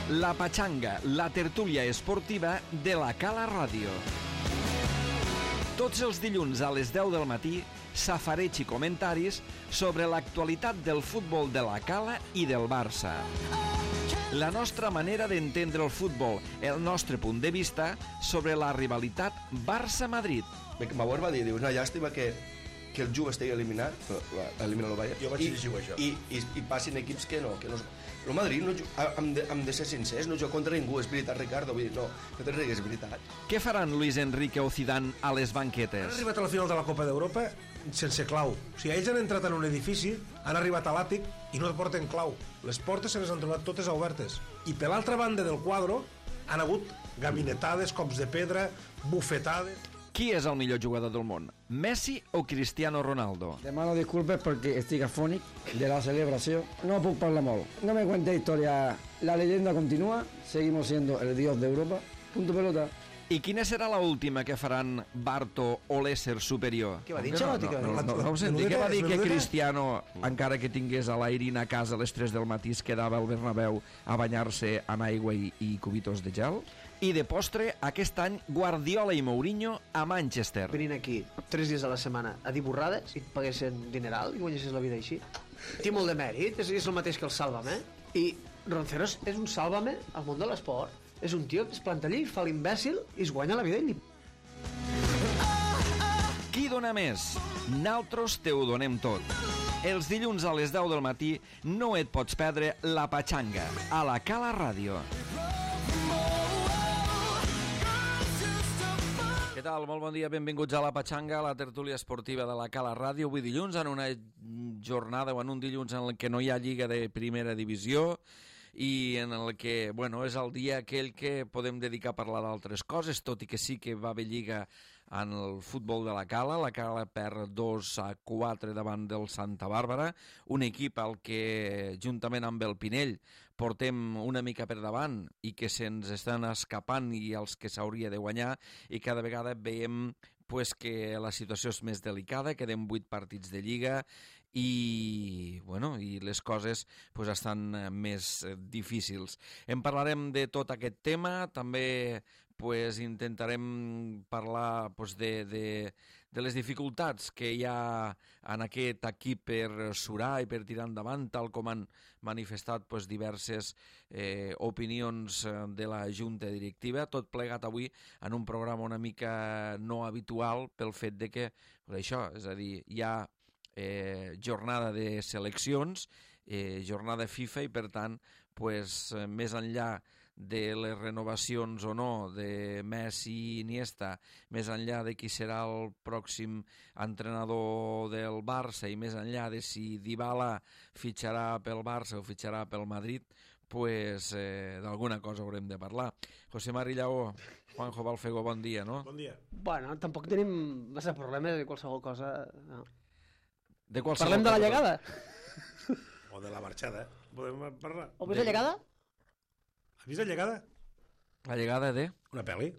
La Patxanga, la tertúlia esportiva de la Cala Ràdio. Tots els dilluns a les 10 del matí, safareig i comentaris sobre l'actualitat del futbol de la Cala i del Barça. La nostra manera d'entendre el futbol, el nostre punt de vista sobre la rivalitat Barça-Madrid. M'avor va dir, una llàstima que el Juve estigui eliminat, elimina el Bayern, jo vaig dir això. I passin equips que no. El Madrid, hem de ser sincers, no juga contra ningú, és veritat, Ricardo, vull dir, no te rigues, és veritat. Què faran Luis Enrique o Zidane a les banquetes? Han arribat a la final de la Copa d'Europa sense clau. O sigui, ells han entrat en un edifici, han arribat a l'àtic i no porten clau. Les portes se les han trobat totes obertes. I per l'altra banda del quadre han hagut gabinetades, cops de pedra, bufetades... Qui és el millor jugador del món? Messi o Cristiano Ronaldo? Demano disculpes perquè estic afònic de la celebració. No puc parlar molt. No me cuente historia. La leyenda continúa. Seguimos siendo el dios de Europa. Punto pelota. I quina serà la última que faran Barto o l'ésser superior? Què va dir, Xalotti? No ho senti, què va dir que Cristiano, encara que tingués a l'Airin a casa a les 3 del matí, es quedava al Bernabéu a banyar-se en aigua i cubitos de gel? I de postre, aquest any, Guardiola i Mourinho a Manchester. Venint aquí 3 dies a la setmana a dir borrades i et paguessin dineral i guanyessis la vida així. Té molt de mèrit, és el mateix que el Sálvame. I Ronceros és un Sálvame al món de l'esport. És un tio que es planta allí, fa l'imbècil i es guanya la vida i Qui dona més? Naltros te ho donem tot. Els dilluns a les 10 del matí no et pots perdre La Patxanga a la Cala Ràdio. Què tal? Molt bon dia, benvinguts a La Patxanga, la tertúlia esportiva de la Cala Ràdio. Avui dilluns, en una jornada o en un dilluns en què no hi ha lliga de primera divisió i en el que, bueno, és el dia aquell que podem dedicar a parlar d'altres coses, tot i que sí que va haver lliga en el futbol de la Cala perd 2-4 davant del Santa Bàrbara, un equip al que, juntament amb el Pinell, portem una mica per davant i que se'ns estan escapant i els que s'hauria de guanyar, i cada vegada veiem que la situació és més delicada, queden 8 partits de Lliga i les coses estan més difícils. En parlarem de tot aquest tema, també intentarem parlar de les dificultats que hi ha en aquest equip per surar i per tirar endavant, tal com han manifestat diverses opinions de la Junta Directiva, tot plegat avui en un programa una mica no habitual pel fet de que, això, és a dir, hi ha jornada de seleccions, jornada FIFA i per tant, més enllà de les renovacions o no de Messi i Iniesta, més enllà de qui serà el pròxim entrenador del Barça i més enllà de si Dybala fitxarà pel Barça o fitxarà pel Madrid, d'alguna cosa haurem de parlar. José Mari Lleó, Juanjo Balfego, bon dia, no? Bon dia. Bueno, tampoc tenim massa problemes de qualsevol cosa. No. Parlem de la llegada. O de la marxada, podem parlar. O més la llegada? Has vist la llegada? La llegada de? Una pel·li?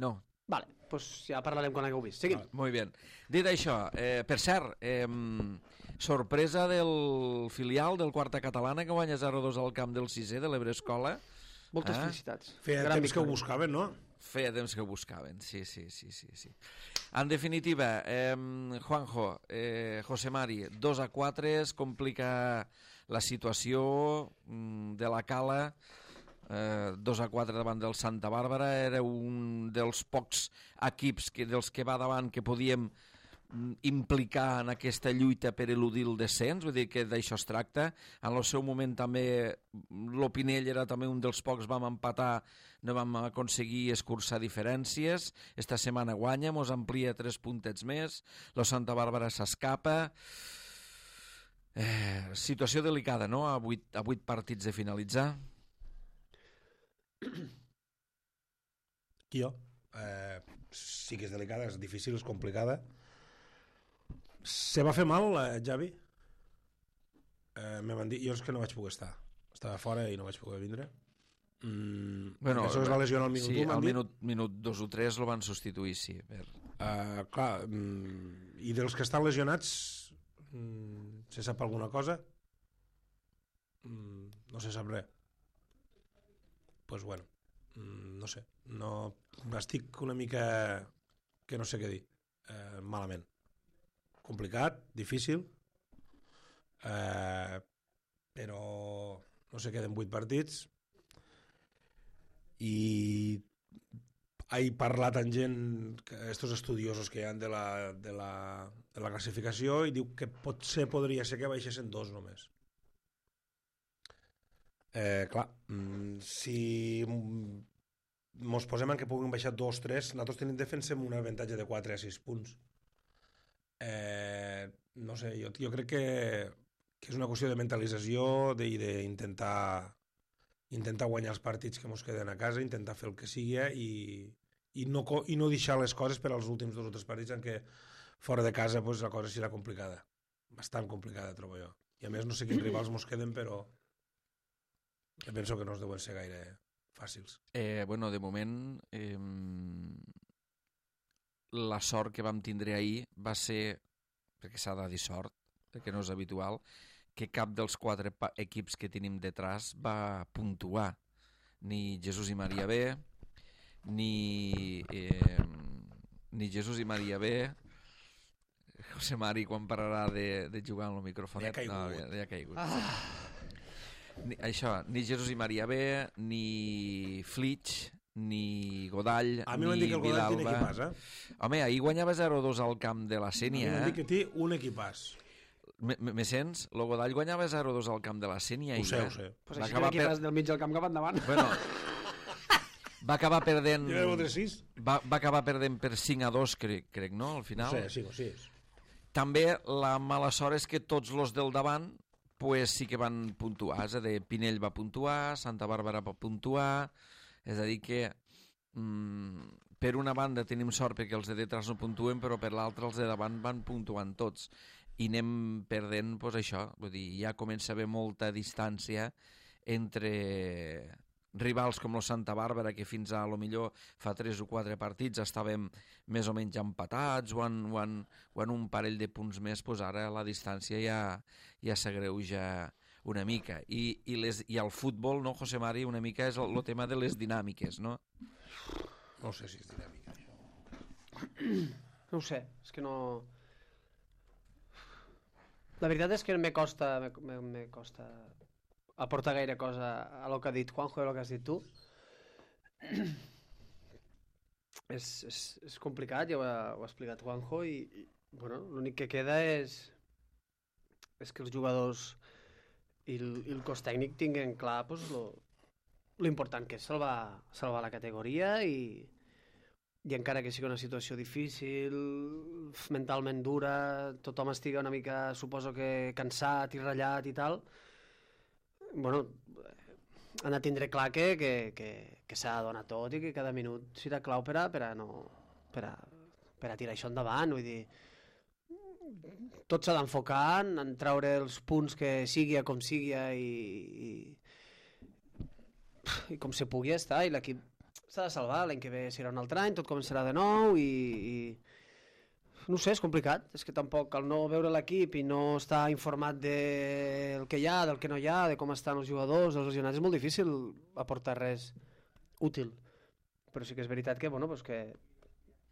No. Vale, doncs ja parlarem quan l'hagueu vist. Seguim. Molt bé. Dit això, per cert, sorpresa del filial del Quarta Catalana que guanya 0-2 al camp del 6è de l'Ebre Escola. Moltes felicitats. Feia temps que ho buscaven, no? Feia temps que ho buscaven, sí. En definitiva, Juanjo, José Mari, 2-4, es complica la situació de la Cala, 2-4 davant del Santa Bàrbara, era un dels pocs equips dels que va davant que podíem implicar en aquesta lluita per eludir el descens, vull dir que d'això es tracta. En el seu moment també l'Opinell era també un dels pocs, vam empatar, no vam aconseguir escurçar diferències, esta setmana guanya, mos amplia 3 puntets més, la Santa Bàrbara s'escapa, situació delicada, no?, a 8 partits de finalitzar. Jo? Sí que és delicada, és difícil, és complicada. Se va fer mal, Javi? Me van dir, jo és que no vaig poder estar. Estava fora i no vaig poder vindre. Això es va lesionar al minut 1, m'han dit? Sí, al minut 2 o 3 el van substituir, sí. Clar, i dels que estan lesionats, se sap alguna cosa? No se sap res. pues bueno, no sé, no, estic una mica que no sé què dir, malament. Complicat, difícil, però no sé, queden 8 partits i he parlat amb gent, estos estudiosos que hi ha de la classificació, i diu que potser podria ser que baixessin 2 només. Clar, si mos posem en que puguin baixar 2-3, nosaltres defensem un avantatge de 4 a 6 punts. No sé, jo crec que és una qüestió de mentalització i d'intentar guanyar els partits que mos queden a casa, intentar fer el que sigui i no deixar les coses per als últims 2 o 3 partits en què fora de casa pues, la cosa serà complicada, bastant complicada, trobo jo. I a més no sé quins rivals mos queden, però jo penso que no es deuen ser gaire fàcils. Bueno, de moment la sort que vam tindre ahir va ser, perquè s'ha de dir sort, perquè no és habitual, que cap dels 4 equips que tenim detrás va puntuar. Ni Jesús i Maria B, ni Jesús i Maria B. José Mari, quan pararà de jugar amb el microfonet? Ja ha caigut. Això, ni Jesús i Maria B, ni Flitch, ni Godall, a mi m'han dit que el Godall té equipàs, Home, ahir guanyava 0-2 al camp de la Sénia, A mi m'han dit que té un equipàs. Me sents? El Godall guanyava 0-2 al camp de la Sénia. Ho sé. Pues així que l'equipàs del mig del camp cap endavant. Bueno, va acabar perdent... Va acabar perdent per 5-2, crec, no? Al final. Sí. També la mala sort és que tots els del davant pues, sí que van puntuar. És a dir, Pinell va puntuar, Santa Bàrbara va puntuar... És a dir que per una banda tenim sort perquè els de detrás no puntuen, però per l'altra els de davant van puntuant tots. I anem perdent, doncs això, vull dir, ja comença a haver molta distància entre rivals com el Santa Bàrbara, que fins a lo millor fa 3 o 4 partits estàvem més o menys empatats o en un parell de punts més, doncs ara la distància ja s'agreuja una mica. I el futbol, no, José Mari, una mica és el tema de les dinàmiques, no? No sé si és dinàmica, això. No ho sé, és que no... La veritat és que me costa aportar gaire cosa a lo que ha dit Juanjo i a lo que has dit tu. És complicat, ja ho ha explicat Juanjo, i bueno, l'únic que queda és que els jugadors i el cos tècnic tinguin clar pues, l'important que és salvar la categoria i encara que sigui una situació difícil, mentalment dura, tothom estigui una mica, suposo que cansat i ratllat i tal, bueno, han de tindre clar que s'ha de donar tot i que cada minut serà clau per a tirar això endavant, vull dir, tot s'ha d'enfocar en treure els punts que sigui com sigui i com se pugui estar, i l'equip s'ha de salvar, l'any que ve serà un altre any, tot començarà de nou i no sé, és complicat, és que tampoc al no veure l'equip i no estar informat del que hi ha, del que no hi ha, de com estan els jugadors, els lesionats, és molt difícil aportar res útil, però sí que és veritat que, bueno, pues que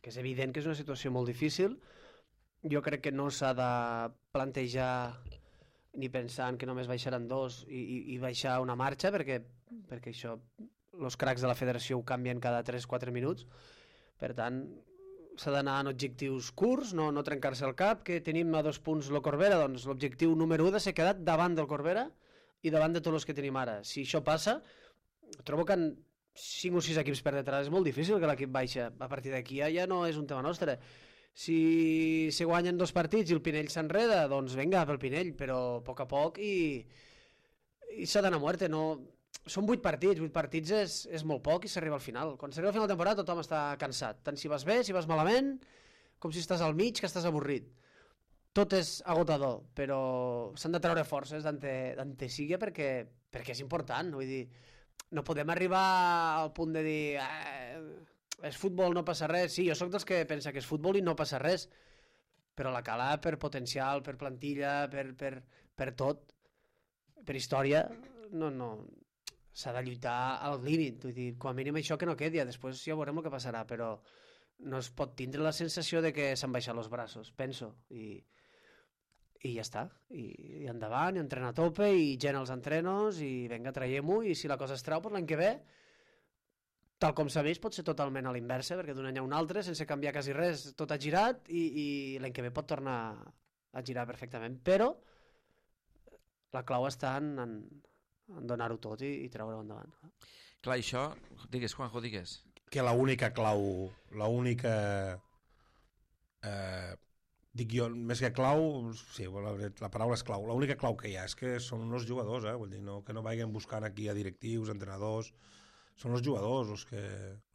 és evident que és una situació molt difícil. Jo crec que no s'ha de plantejar ni pensar en que només baixaran 2 i baixar una marxa, perquè això els cracs de la federació ho canvien cada 3-4 minuts. Per tant, s'ha d'anar en objectius curts, no trencar-se el cap, que tenim a 2 punts el Corbera, doncs l'objectiu número 1 de ser quedat davant del Corbera i davant de tots els que tenim ara. Si això passa, trobo que en 5 o 6 equips per detrás és molt difícil que l'equip baixa. A partir d'aquí ja no és un tema nostre. Si se guanyen 2 partits i el Pinell s'enreda, doncs vinga, pel Pinell, però a poc i s'ha d'anar a muerte. No... Són 8 partits, 8 partits és molt poc i s'arriba al final. Quan s'arriba al final de temporada tothom està cansat, tant si vas bé, si vas malament, com si estàs al mig, que estàs avorrit. Tot és agotador, però s'han de treure forces d'ante sigui perquè és important, vull dir, no podem arribar al punt de dir és futbol, no passa res. Sí, jo sóc dels que pensa que és futbol i no passa res, però la cala per potencial, per plantilla, per tot, per història, no. s'ha de lluitar al límit, vull dir, com a mínim això que no quedi, després ja veurem el que passarà, però no es pot tindre la sensació de que s'han baixat els braços, penso, i ja està, i endavant, i entrenar a tope, i gent als entrenos, i vinga, traiem-ho, i si la cosa es treu per l'any que ve, tal com s'ha vist, pot ser totalment a l'inversa, perquè d'un any a un altre, sense canviar quasi res, tot ha girat, i l'any que ve pot tornar a girar perfectament, però la clau està en donar-ho tot i treure-ho endavant. Clar, això... Digues, Juanjo, digues. Que l'única clau, dic jo, més que clau, sí, la paraula és clau, l'única clau que hi ha és que són els jugadors, vull dir, no, que no vagin buscant aquí a directius, entrenadors, són els jugadors els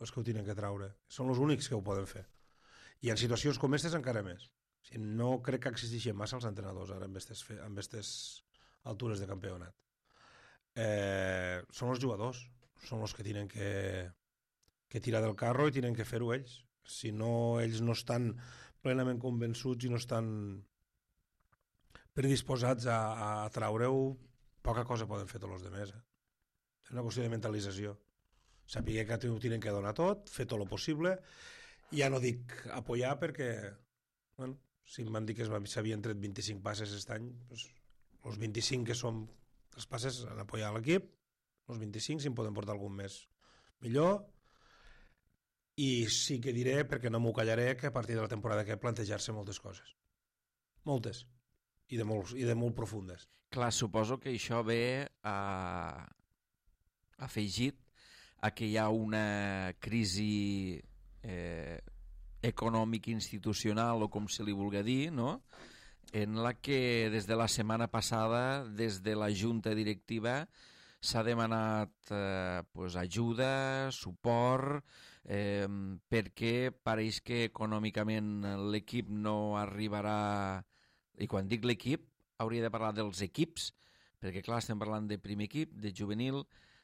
que ho tenen que treure, són els únics que ho poden fer. I en situacions com aquestes encara més. O sigui, no crec que existeixin massa els entrenadors ara amb aquestes altures de campionat. Són els jugadors, són els que tenen que tirar del carro i tenen que fer-ho ells. Si no, ells no estan plenament convençuts i no estan predisposats a treure-ho, poca cosa poden fer tots els demés. És una qüestió de mentalització. Saber que ho tenen que donar tot, fer tot el possible. Ja no dic apoyar perquè, bueno, si em van dir que s'havien tret 25 passes aquest any, doncs, els 25 que són els passes han apoyat l'equip, els 25 si en poden portar algun més millor. I sí que diré, perquè no m'ho callaré, que a partir de la temporada que plantejar-se moltes coses. Moltes. I de molt profundes. Clar, suposo que això ve afegit a que hi ha una crisi econòmica institucional, o com se li vulgui dir, no?, en la que des de la setmana passada, des de la junta directiva, s'ha demanat ajuda, suport, perquè pareix que econòmicament l'equip no arribarà, i quan dic l'equip hauria de parlar dels equips, perquè clar, estem parlant de primer equip, de juvenil,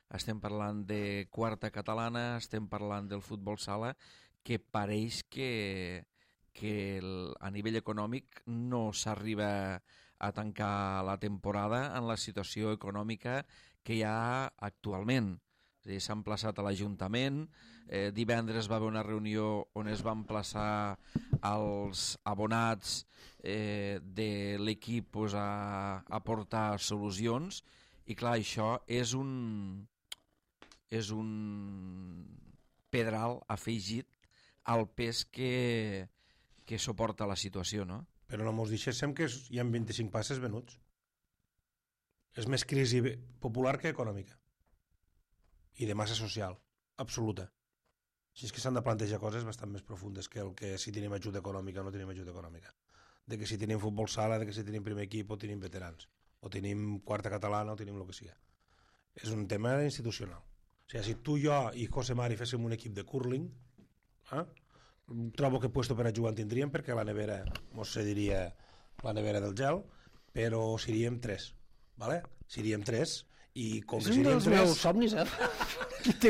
estem parlant de quarta catalana, estem parlant del futbol sala, que pareix que a nivell econòmic no s'arriba a tancar la temporada en la situació econòmica que hi ha actualment. S'ha emplaçat a l'Ajuntament, divendres va haver una reunió on es va emplaçar als abonats de l'equip a aportar solucions, i clar, això és un pedral afegit al pes que suporta la situació, no? Però no mos deixéssim que hi ha 25 passes venuts. És més crisi popular que econòmica. I de massa social, absoluta. Així és que s'han de plantejar coses bastant més profundes que el que si tenim ajuda econòmica o no tenim ajuda econòmica. De que si tenim futbol sala, de que si tenim primer equip o tenim veterans, o tenim quarta catalana o tenim el que sigui. És un tema institucional. O sigui, si tu, jo i José Mari féssim un equip de curling, trobo que puesto per a jugar en tindríem, perquè la nevera mos cediria la nevera del gel, però seríem 3, ¿vale? Seríem 3 i com que seríem 3... És un dels meus somnis,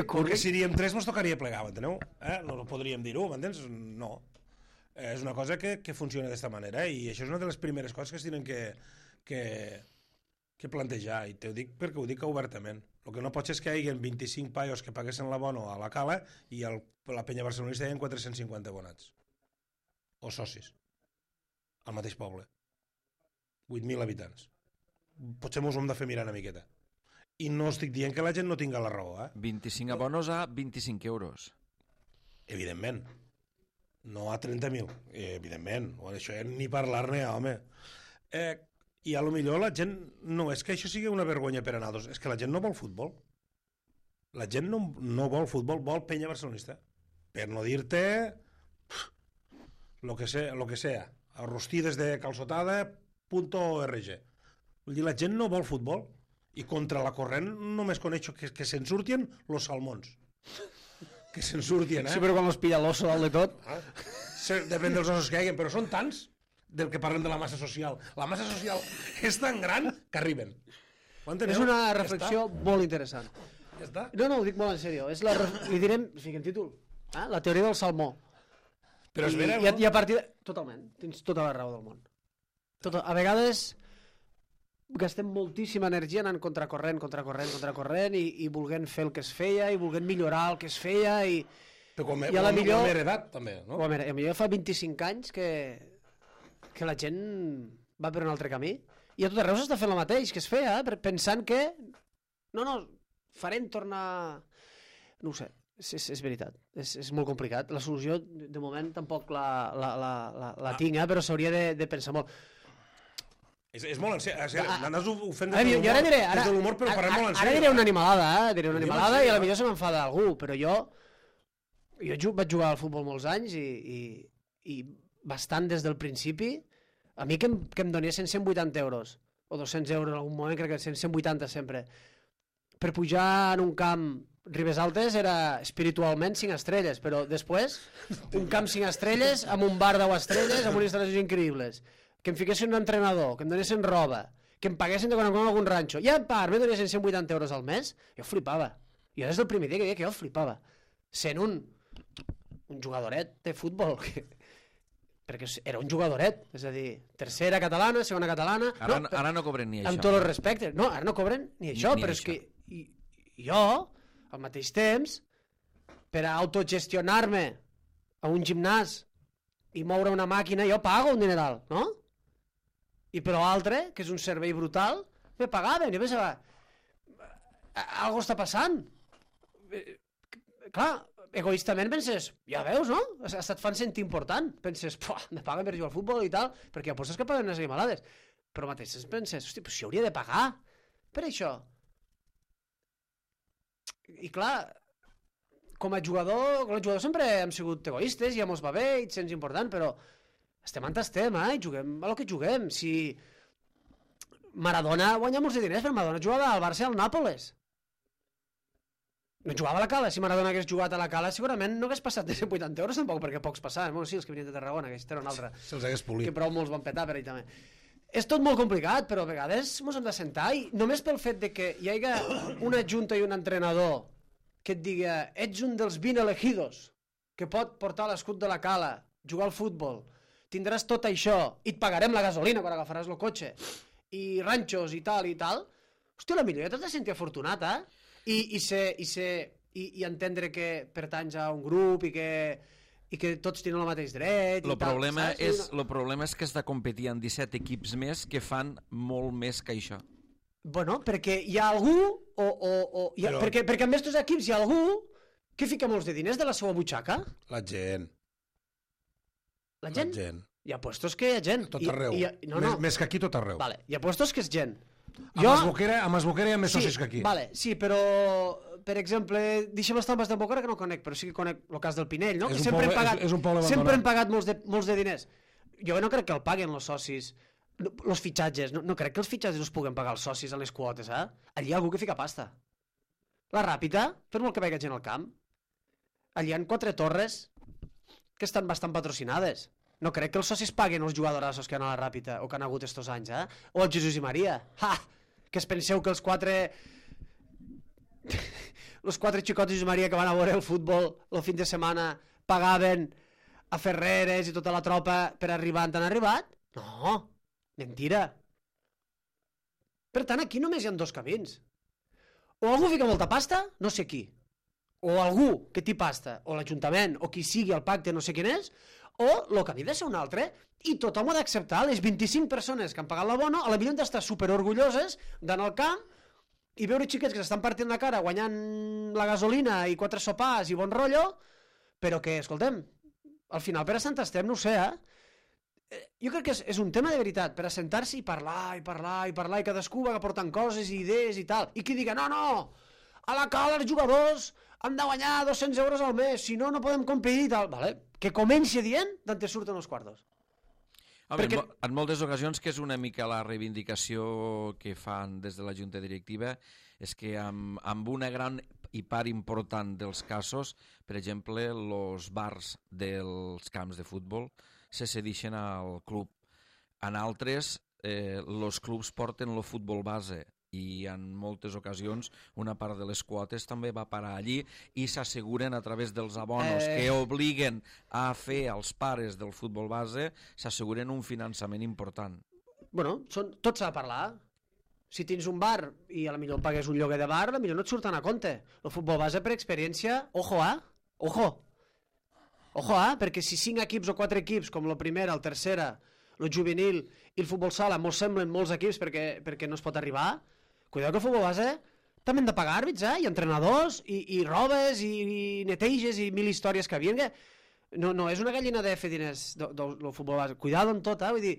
Com que seríem 3 mos tocaria plegar, m'enteneu? No podríem dir-ho, m'entens? No. És una cosa que funciona d'esta manera, i això és una de les primeres coses que es tenen que plantejar, i t'ho dic perquè ho dic obertament. El que no pot ser és que hi hagi 25 paios que paguessin l'abono a la Cala i la penya barcelonista hi ha 450 abonats o socis al mateix poble, 8.000 habitants. Potser mos hem de fer mirar una miqueta, i no estic dient que la gent no tinga la raó, 25 abonos a 25 euros, evidentment, no a 30.000, evidentment, això ni parlar-ne, home. I a lo millor la gent, no és que això sigui una vergonya per a nosaltres, és que la gent no vol futbol. La gent no vol futbol, vol penya barcelonista. Per no dir-te lo que sea, arrostides de calçotada.org. Vull dir, la gent no vol futbol, i contra la corrent només coneixo que se'n surtien los salmons. Que se'n surtien, Sí, però quan els pilla l'osso dalt de tot... Depèn dels ossos que hi hagin, però són tants del que parlem de la massa social. La massa social és tan gran que arriben. És una reflexió molt interessant. Ja està. No, ho dic molt en sèrio. Li direm, fiquem títol, la teoria del salmó. Però és vera, no? I a partir de... Totalment, tens tota la raó del món. A vegades gastem moltíssima energia anant contracorrent i volent fer el que es feia i volent millorar el que es feia i Però com a la millor... Ho hem heredat, també, no? A millor fa 25 anys que la gent va per un altre camí i a tot arreu s'està fent el mateix que es feia, pensant que farem tornar... No ho sé, és veritat, és molt complicat. La solució, de moment, tampoc la tinc, però s'hauria de pensar molt. És molt en sèrio. Anàs ho fent des de l'humor, però farem molt en sèrio. Ara diré una animalada, i a la millor se m'enfada algú, però jo vaig jugar al futbol molts anys i bastant des del principi. A mi que em donessin 180 euros o 200 euros en algun moment, crec que 180 sempre, per pujar en un camp Ribes Altes era espiritualment 5 estrelles, però després un camp 5 estrelles amb un bar 10 estrelles amb unes instal·lacions increïbles, que em fiquessin un entrenador, que em donessin roba, que em paguessin de quan en quan algun ranxo, i a part me donessin 180 euros al mes, jo flipava. Jo des del primer dia que deia que jo flipava. Sent un jugadoret de futbol, perquè era un jugadoret, és a dir, tercera catalana, segona catalana... Ara no cobren ni això. Amb tots els respectes. No, ara no cobren ni això, però és que jo, al mateix temps, per a autogestionar-me a un gimnàs i moure una màquina, jo pago un dineral, no? I per l'altre, que és un servei brutal, me pagaven. Jo pensava, algo està passant. Clar, egoistament penses, ja veus, no? Et fan sentir important. Penses, me paguen per jugar al futbol i tal, perquè apostes que paguen unes animalades. Però mateix penses, hosti, però si hauria de pagar per això. I clar, com a jugador, sempre hem sigut egoistes, ja mos va bé, i et sents important, però estem on estem, i juguem a lo que juguem. Si Maradona guanya molts de diners, però Maradona jugava al Barça i al Nàpoles. No jugava a la Cala. Si Maradona hagués jugat a la Cala, segurament no hagués passat de 180 euros, tampoc, perquè pocs passaven. Bueno, sí, els que venien de Tarragona, que era un altre. Se'ls hagués polit. Que prou molts van petar per ell també. És tot molt complicat, però a vegades ens hem de sentar i només pel fet de que hi hagi una junta i un entrenador que et diga, ets un dels 20 elegidos que pot portar l'escut de la Cala, jugar al futbol, tindràs tot això i et pagarem la gasolina quan agafaràs el cotxe i ranxos i tal, hòstia, la millor ja t'has de sentir afortunat, i entendre que pertanys a un grup i que tots tenen el mateix dret. El problema és que has de competir en 17 equips més que fan molt més que això. Bueno, perquè hi ha algú, perquè en aquests equips hi ha algú que fica molts de diners de la seva butxaca. La gent. La gent? Hi ha puestos que hi ha gent. Tot arreu. Més que aquí, tot arreu. Vale, hi ha puestos que és gent. Amb Esboquera hi ha més socis que aquí. Vale, sí, però, per exemple, deixem les Tambes d'Esboquera, que no conec, però sí que conec el cas del Pinell, no? És un poble abandonat. Sempre han pagat molts de diners. Jo no crec que el paguen els socis, els fitxatges. No crec que els fitxatges els puguen pagar els socis en les quotes, Allí hi ha algú que fica pasta. La Ràpita, per molt que vagi gent al camp, allí hi ha 4 torres que estan bastant patrocinades. No crec que els socis paguen els jugadorassos que han a la Ràpita o que han hagut estos anys, O el Jesús i Maria. Que es penseu que els 4 xicots Jesús i Maria que van a veure el futbol el fin de setmana pagaven a Ferreres i tota la tropa per arribar on han arribat? No, mentira. Per tant, aquí només hi ha 2 camins. O algú fica molta pasta, no sé qui, o algú que té pasta, o l'Ajuntament, o qui sigui el pacte, no sé quin és, o el camí de ser un altre, i tothom ho ha d'acceptar. Les 25 persones que han pagat l'abono, a la millor han d'estar superorgulloses d'anar al camp i veure xiquets que s'estan partint la cara guanyant la gasolina i 4 sopars i bon rotllo, però que, escoltem, al final per a Sant Estem, no ho sé, jo crec que és un tema de veritat, per assentar-se i parlar, i cadascú va aportant coses i idees i tal, i qui diga, no, a la Cala els jugadors han de guanyar 200 euros al mes, si no, no podem competir i tal, vale? Que comenci dient d'on te surten els quartos. Perquè... En moltes ocasions, que és una mica la reivindicació que fan des de la Junta Directiva, és que amb una gran i part important dels casos, per exemple, els bars dels camps de futbol se cedeixen al club. En altres, els clubs porten el futbol base i en moltes ocasions una part de les quotes també va parar allí i s'asseguren a través dels abonos que obliguen a fer als pares del futbol base, s'asseguren un finançament important. Bueno, tot s'ha de parlar. Si tens un bar i a la millor pagues un lloguer de bar, a la millor no et surten a compte. El futbol base per experiència, ojo, perquè si 5 equips o 4 equips, com la primera, el tercera, el juvenil i el futbol sala, mos semblen molts equips perquè no es pot arribar, cuidado que el futbol base també hem de pagar àrbits, i entrenadors, i robes, i neteges, i 1000 històries que havien, que no és una gallina de fer diners del futbol base. Cuidado en tot, vull dir,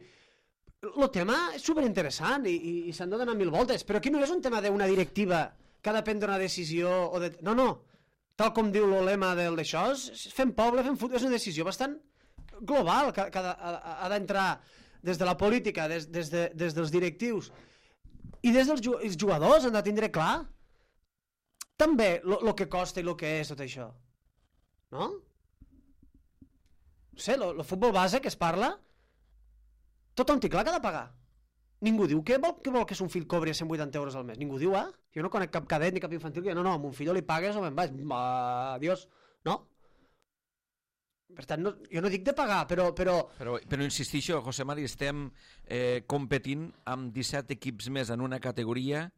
el tema és superinteressant i s'han de donar 1000 voltes, però aquí no és un tema d'una directiva que ha de prendre una decisió o de... No, tal com diu el lema d'això, fem poble, fem futbol, és una decisió bastant global que ha d'entrar des de la política, des dels directius i des dels jugadors, han de tindre clar també el que costa i el que és tot això, no? No sé, el futbol base que es parla, tothom té clar que ha de pagar. Ningú diu què vol que son fill cobri 180 euros al mes. Ningú diu, Jo no conec cap cadet ni cap infantil que no, a mon fill li pagues o me'n vaig. Adiós. No? Per tant, jo no dic de pagar, però insistixo, José Mari, estem competint amb 17 equips més en una categoria.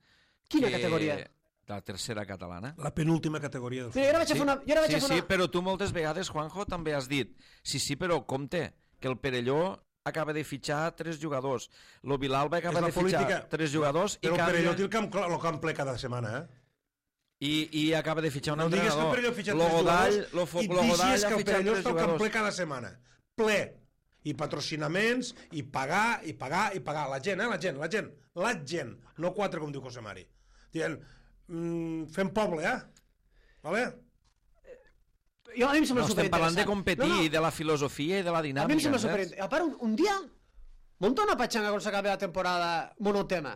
Quina categoria? La tercera catalana. La penúltima categoria del futbol. Sí, però tu moltes vegades, Juanjo, també has dit sí, però compte, que el Perelló acaba de fitxar 3 jugadors. Lo Vilalba acaba de fitxar 3 jugadors. Però el Perelló té el camp ple cada setmana, I acaba de fitxar un entrenador. No digues que el Perelló ha fitxat 3 jugadors i deixes que el Perelló està al camp ple cada setmana. Ple. I patrocinaments, i pagar. La gent. No 4, com diu José Mari. Dient, fem poble, Vale? A mi em sembla superinteressant. Estem parlant de competir, de la filosofia i de la dinàmica. A mi em sembla superinteressant. A part, un dia, munta una patxanga quan s'acabi la temporada monotema.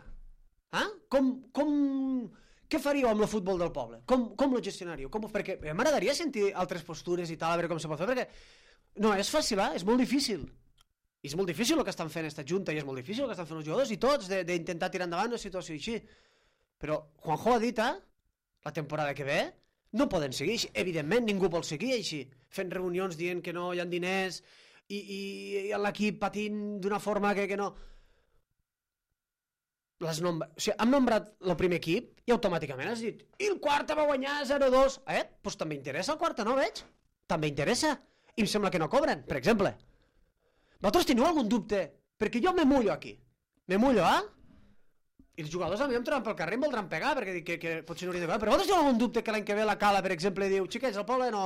Què faríeu amb el futbol del poble? Com lo gestionaríeu? Perquè m'agradaria sentir altres postures i tal, a veure com se pot fer, perquè no és fàcil, és molt difícil. I és molt difícil el que estan fent esta junta, i és molt difícil el que estan fent els jugadors i tots, d'intentar tirar endavant una situació així. Però Juanjo ha dit, la temporada que ve, no poden seguir així. Evidentment, ningú vol seguir així, fent reunions dient que no hi ha diners i l'equip patint d'una forma que no... Hem nombrat el primer equip i automàticament has dit i el Quarta va guanyar 0-2. Doncs també interessa el Quarta, no veig? També interessa. I em sembla que no cobren, per exemple. Vosaltres teniu algun dubte? Perquè jo me mullo aquí. Me mullo, I els jugadors a mi em troben pel carrer i em voldran pegar, perquè dic que potser no hauria de pagar. Però vosaltres teniu algun dubte que l'any que ve la Cala, per exemple, diu, xiquets, al poble no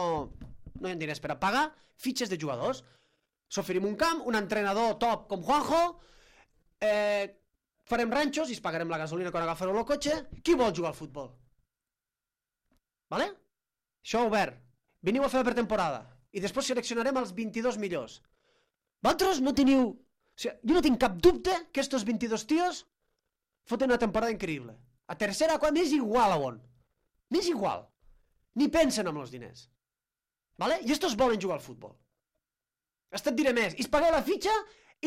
hi ha diners per a pagar fitxes de jugadors. S'oferim un camp, un entrenador top com Juanjo, farem ranxos i es pagarem la gasolina quan agafareu el cotxe. Qui vol jugar al futbol? Vale? Això obert. Veniu a fer la pretemporada i després seleccionarem els 22 millors. Vosaltres no teniu... Jo no tinc cap dubte que estos 22 tios foten una temporada increïble. A tercera, quan m'és igual a on. M'és igual. Ni pensen en els diners. Vale? I estos volen jugar al futbol. Hasta et diré més. I es pagueu la fitxa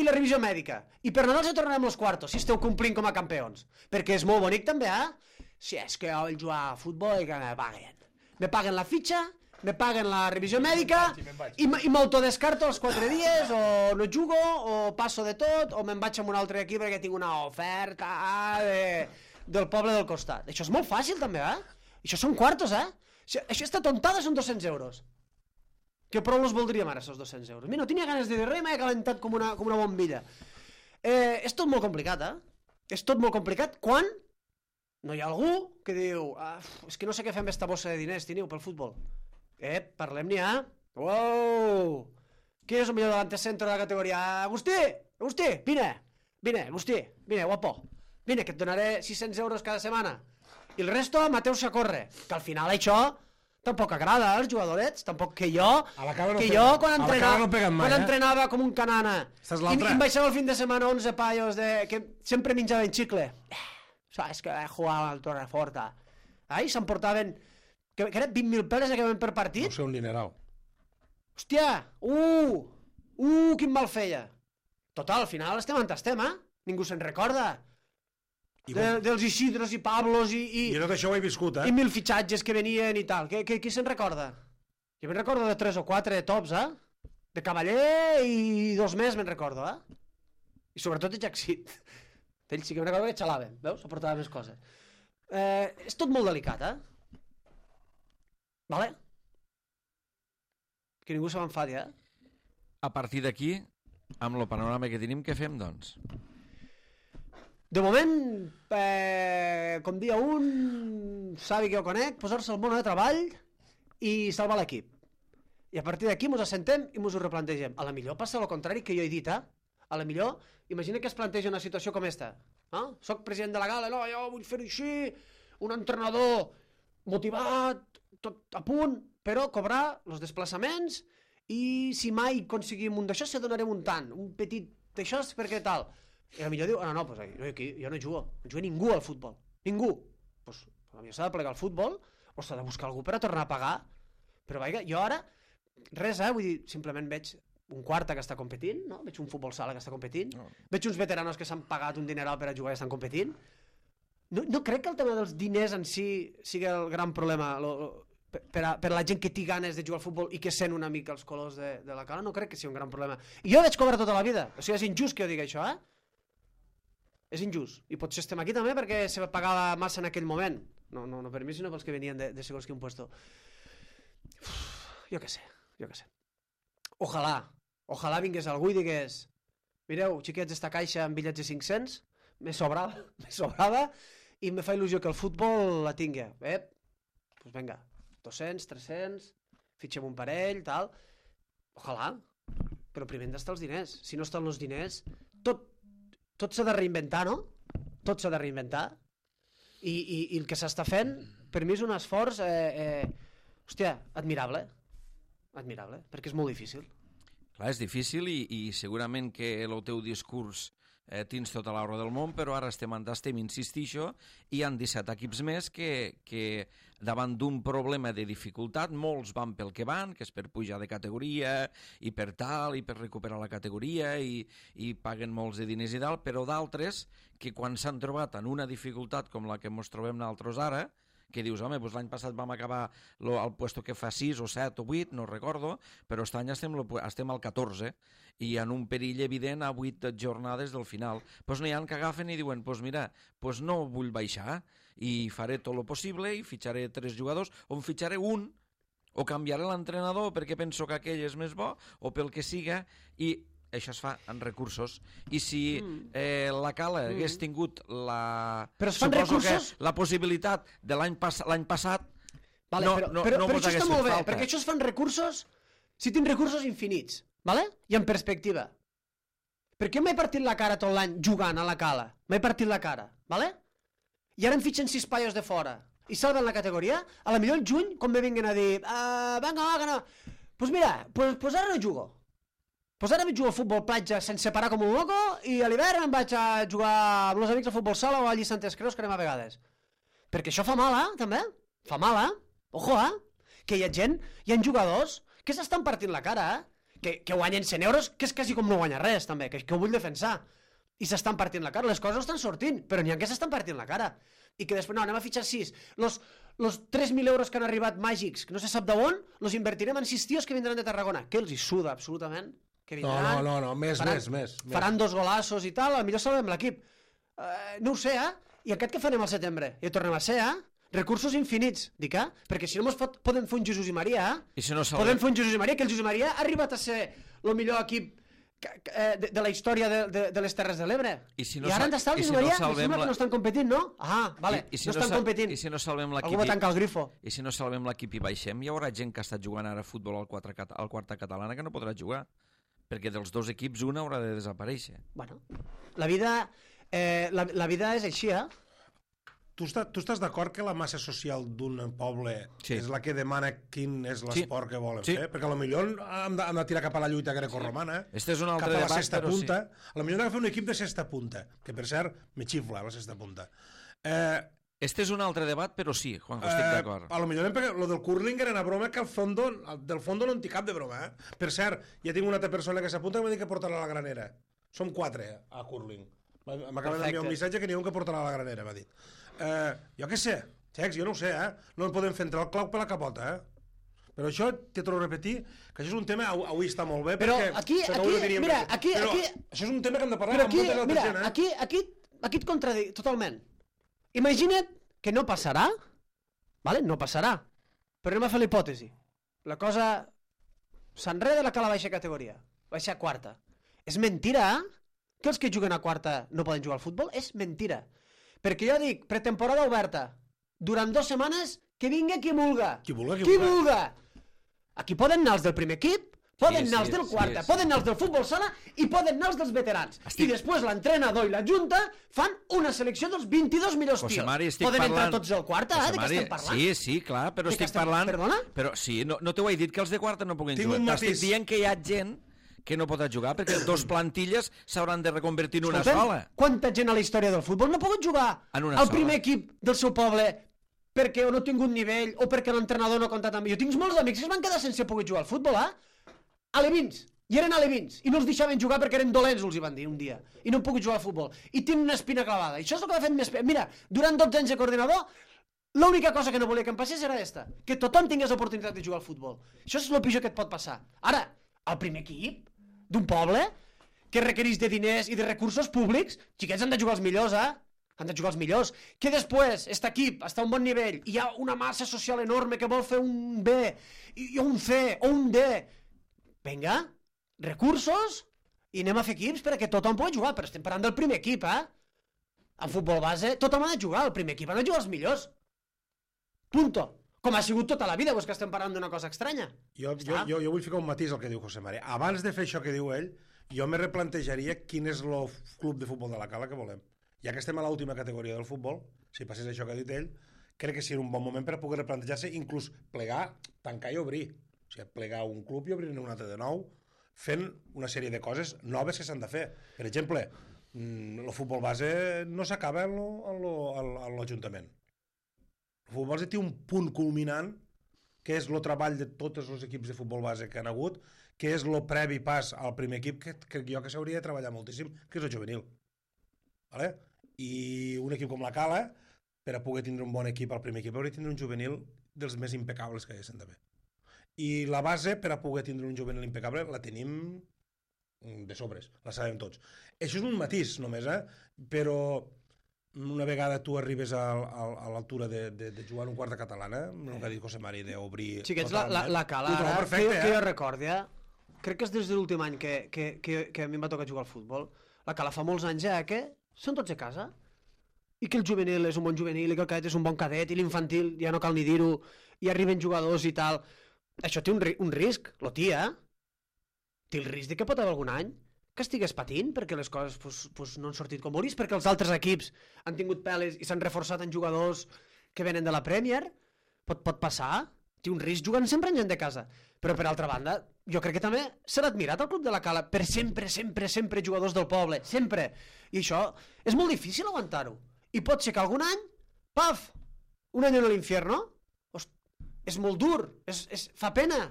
i la revisió mèdica. I per Nadal se tornarem els quartos, si esteu complint com a campions. Perquè és molt bonic també, Si és que jo vull jugar a futbol i que me paguen. Me paguen la fitxa, me paguen la revisió mèdica i m'autodescarto els 4 dies, o no jugo, o passo de tot, o me'n vaig amb un altre equip perquè tinc una oferta del poble del costat. Això és molt fàcil també, Això són quartos, Això esta tontada són 200 euros. Que prou els voldríem ara, aquests 200 euros. Mira, no tenia ganes de dir res, m'he calentat com una bombilla. És tot molt complicat, És tot molt complicat quan no hi ha algú que diu és que no sé què fem esta bossa de diners, teniu, pel futbol. Parlem-n'hi, Uou! Qui és el millor davant centre de la categoria? Agustí, vine, Agustí, vine, guapo. Vine, que et donaré 600 euros cada setmana. I el resto, Mateus a córrer. Que al final això tampoc agrada als jugadorets, tampoc que jo quan entrenava com un canana i em baixava el fin de setmana 11 paios que sempre menjaven xicle. És que jugava al Torreforta. I s'emportaven que eren 20.000 peles que ven per partit. No sé, un dineral. Hòstia, quin mal feia. Total, al final estem on estem, Ningú se'n recorda. Dels Isidros i Pablos i tot això ho he viscut, i 1000 fitxatges que venien i tal. Qui se'n recorda? Jo me'n recordo de 3 o 4 tops, De Cavaller i 2 més me'n recordo, I sobretot de Jacksit. Ell sí que me'n recordo que xalàvem, veus? Aportava més coses. És tot molt delicat, Vale? Que ningú se m'enfadi, A partir d'aquí, amb el panorama que tenim, què fem, doncs? De moment, com dia un, savi que jo conec, posar-se al món de treball i salvar l'equip. I a partir d'aquí mos assentem i mos ho replantegem. A la millor passa el contrari que jo he dit, A la millor, imagina que es planteja una situació com esta. Soc president de la gala, no, jo vull fer-ho així, un entrenador motivat, tot a punt, però cobrar els desplaçaments i si mai aconseguim un d'això, se donarem un tant, un petit d'això, perquè tal. I a millor diu, no, pues aquí jo no jugo, no juga ningú al futbol, ningú. Pues potser s'ha de plegar al futbol o s'ha de buscar algú per a tornar a pagar. Però vaja, jo ara, res, vull dir, simplement veig un quarta que està competint, no? Veig un futbol sala que està competint, veig uns veteranos que s'han pagat un dineral per a jugar i estan competint. No crec que el tema dels diners en si sigui el gran problema per a la gent que té ganes de jugar al futbol i que sent una mica els colors de la cara, no crec que sigui un gran problema. I jo vaig cobrar tota la vida, o sigui, és injust que jo digui això, És injust. I potser estem aquí també perquè se pagava massa en aquell moment. No per mi, sinó pels que venien de segons quin puesto. Jo què sé. Ojalà vingués algú i digués mireu, xiquets, esta caixa amb bitllets de 500 me sobrava i me fa il·lusió que el futbol la tingui. Pues venga, 200, 300, fitxem un parell, tal. Ojalà. Però primer han d'estar els diners. Si no estan els diners, tot s'ha de reinventar, no? Tot s'ha de reinventar. I el que s'està fent, per mi és un esforç, hòstia, admirable, perquè és molt difícil. Clar, és difícil i segurament que el teu discurs tens tota l'hora del món, però ara estem insistint, i hi ha 17 equips més que davant d'un problema de dificultat, molts van pel que van, que és per pujar de categoria i per tal, i per recuperar la categoria i paguen molts de diners i tal, però d'altres que quan s'han trobat en una dificultat com la que ens trobem nosaltres ara, que dius, home, doncs l'any passat vam acabar al puesto que fa 6 o 7 o 8, no recordo, però aquest any estem al 14 i en un perill evident a 8 jornades del final. Doncs n'hi ha que agafen i diuen, doncs mira, no vull baixar i faré tot el possible i fitxaré 3 jugadors, o en fitxaré un, o canviaré l'entrenador perquè penso que aquell és més bo, o pel que siga, i això es fa en recursos. I si la Cala hagués tingut la possibilitat de l'any passat, però això està molt bé, perquè això es fan recursos si tens recursos infinits, i en perspectiva. Perquè jo m'he partit la cara tot l'any jugant a la Cala, m'he partit la cara, i ara em fitxen 6 paios de fora i salven la categoria, a la millor el juny, quan me vinguen a dir venga, que no, doncs mira, doncs ara no jugo. Doncs ara vaig jugar al futbol platja sense parar com un loco i a l'hivern em vaig a jugar amb els amics al futbol sala o a Lliçantes Creus, que anem a vegades. Perquè això fa mal, també. Fa mal, Ojo, que hi ha gent, hi ha jugadors que s'estan partint la cara, que guanyen 100 euros, que és quasi com no guanyar res, també, que ho vull defensar. I s'estan partint la cara. Les coses no estan sortint, però n'hi ha que s'estan partint la cara. I que després, no, anem a fitxar 6. Los 3.000 euros que han arribat màgics, que no se sap d'on, los invertirem en 6 tios que vindran de Tarragona. Que els hi suda, absolutament. Que vindran, no, més. Faran 2 golassos i tal, potser salvem l'equip. No ho sé, I aquest que farem al setembre? I ho tornem a ser, Recursos infinits, dic, Perquè si no podem fer un Jesús i Maria, podem fer un Jesús i Maria, que el Jesús i Maria ha arribat a ser el millor equip de la història de les Terres de l'Ebre. I ara han d'estar el Jesús i Maria, i sembla que no estan competint, no? Vale, no estan competint. I si no salvem l'equip... Algú va tancar el grifo. I si no salvem l'equip i baixem, hi haurà gent que ha estat jugant ara a futbol al quarta catalana que no podrà jugar. Perquè dels 2 equips un haurà de desaparèixer. Bueno, la vida és així, Tu estàs d'acord que la massa social d'un poble és la que demana quin és l'esport que volen fer? Perquè potser hem de tirar cap a la lluita grecorromana, cap a la sexta punta. Potser hem de fer un equip de sexta punta, que per cert me xifla la sexta punta. Este és un altre debat, però sí, Juanjo, estic d'acord. Potser lo del curling era una broma que del fondo no en té cap de broma. Per cert, ja tinc una altra persona que s'apunta que m'ha dit que portarà a la granera. Som 4 a curling. M'acaba d'enviar un missatge que n'hi ha un que portarà a la granera, m'ha dit. Jo què sé, xecs, jo no ho sé, no en podem fer entrar el clau per la capota, Però això, t'he torno a repetir, que això és un tema, avui està molt bé, però aquí, mira, aquí... Però això és un tema que hem de parlar amb molta altra gent, Aquí, Aquí et contradic totalment. Imagina't que no passarà, vale? No passarà, però anem a fer l'hipòtesi. La cosa s'enreda la cala baixa categoria, baixa a quarta. És mentira, que els que juguen a quarta no poden jugar al futbol? És mentira. Perquè jo dic, pretemporada oberta, durant 2 setmanes, que vingui qui vulga. Qui vulga, Qui vulga. Aquí poden anar els del primer equip, poden anar els del quarta, sí. poden anar els del futbol sala i poden anar els dels veterans. I després l'entrenador i la junta fan una selecció dels 22 millors José tios. Mari, estic Poden parlant... entrar tots al quarta, José de què Mari, estem parlant? Sí, clar, però De què estic estem- parlant... Perdona? Però sí, no t'ho he dit que els de quarta no puguin Tinc jugar. un T'estic matís. dient que hi ha gent que no podrà jugar perquè 2 plantilles s'hauran de reconvertir en una Escolta'm, sola. quanta gent a la història del futbol no ha pogut jugar En una al sola. primer equip del seu poble perquè o no ha tingut nivell o perquè l'entrenador no ha comptat amb ell. Jo tinc molts amics que es van quedar sense poder jugar al futbol, alevins, i eren alevins, i no els deixaven jugar perquè eren dolents, els hi van dir un dia, i no han pogut jugar al futbol, i tenen una espina clavada, i això és el que m'ha fet més... Mira, durant 12 anys de coordinador, l'única cosa que no volia que em passés era esta, que tothom tingués l'oportunitat de jugar al futbol. Això és el pitjor que et pot passar. Ara, el primer equip d'un poble que requereix de diners i de recursos públics, xiquets han de jugar els millors, han de jugar els millors, que després aquest equip està a un bon nivell i hi ha una massa social enorme que vol fer un B i un C o un D. Vinga, recursos i anem a fer equips perquè tothom pugui jugar, però estem parlant del primer equip, En futbol base tothom ha de jugar, el primer equip han de jugar els millors. Punto. Com ha sigut tota la vida, doncs que estem parlant d'una cosa estranya. Jo vull ficar un matís al que diu José Mari. Abans de fer això que diu ell, jo me replantejaria quin és el club de futbol de la Cala que volem. Ja que estem a l'última categoria del futbol, si passés això que ha dit ell, crec que seria un bon moment per a poder replantejar-se, inclús plegar, tancar i obrir. O sigui, plegar un club i obrir-ne un altre de nou, fent una sèrie de coses noves que s'han de fer. Per exemple, el futbol base no s'acaba a l'Ajuntament. El futbol base té un punt culminant que és el treball de tots els equips de futbol base que han hagut, que és el previ pas al primer equip que crec jo que s'hauria de treballar moltíssim, que és el juvenil. Vale? I un equip com la Cala, per a poder tindre un bon equip al primer equip, hauria de tindre un juvenil dels més impecables que hi haguessin d'haver. I la base, per a poder tindre un juvenil impecable, la tenim de sobres, la sabem tots. Això és un matís només, però una vegada tu arribes a l'altura de jugar en un quart de catalana, el que ha dit José Mari, d'obrir... Xiquets, la Cala, perfecte, que jo recordi, crec que és des de l'últim any que a mi em va tocar jugar al futbol. La Cala fa molts anys que són tots a casa i que el juvenil és un bon juvenil i que el cadet és un bon cadet i l'infantil ja no cal ni dir-ho i arriben jugadors i tal. Això té un risc, té el risc de que pot haver algun any que estigués patint perquè les coses no han sortit com volis, perquè els altres equips han tingut peles i s'han reforçat en jugadors que venen de la Premier. Pot passar, té un risc jugant sempre en gent de casa, però per altra banda jo crec que també serà admirat el club de la Cala per sempre jugadors del poble, sempre, i això és molt difícil aguantar-ho, i pot ser que algun any, paf, un any en l'infierno, és molt dur, fa pena,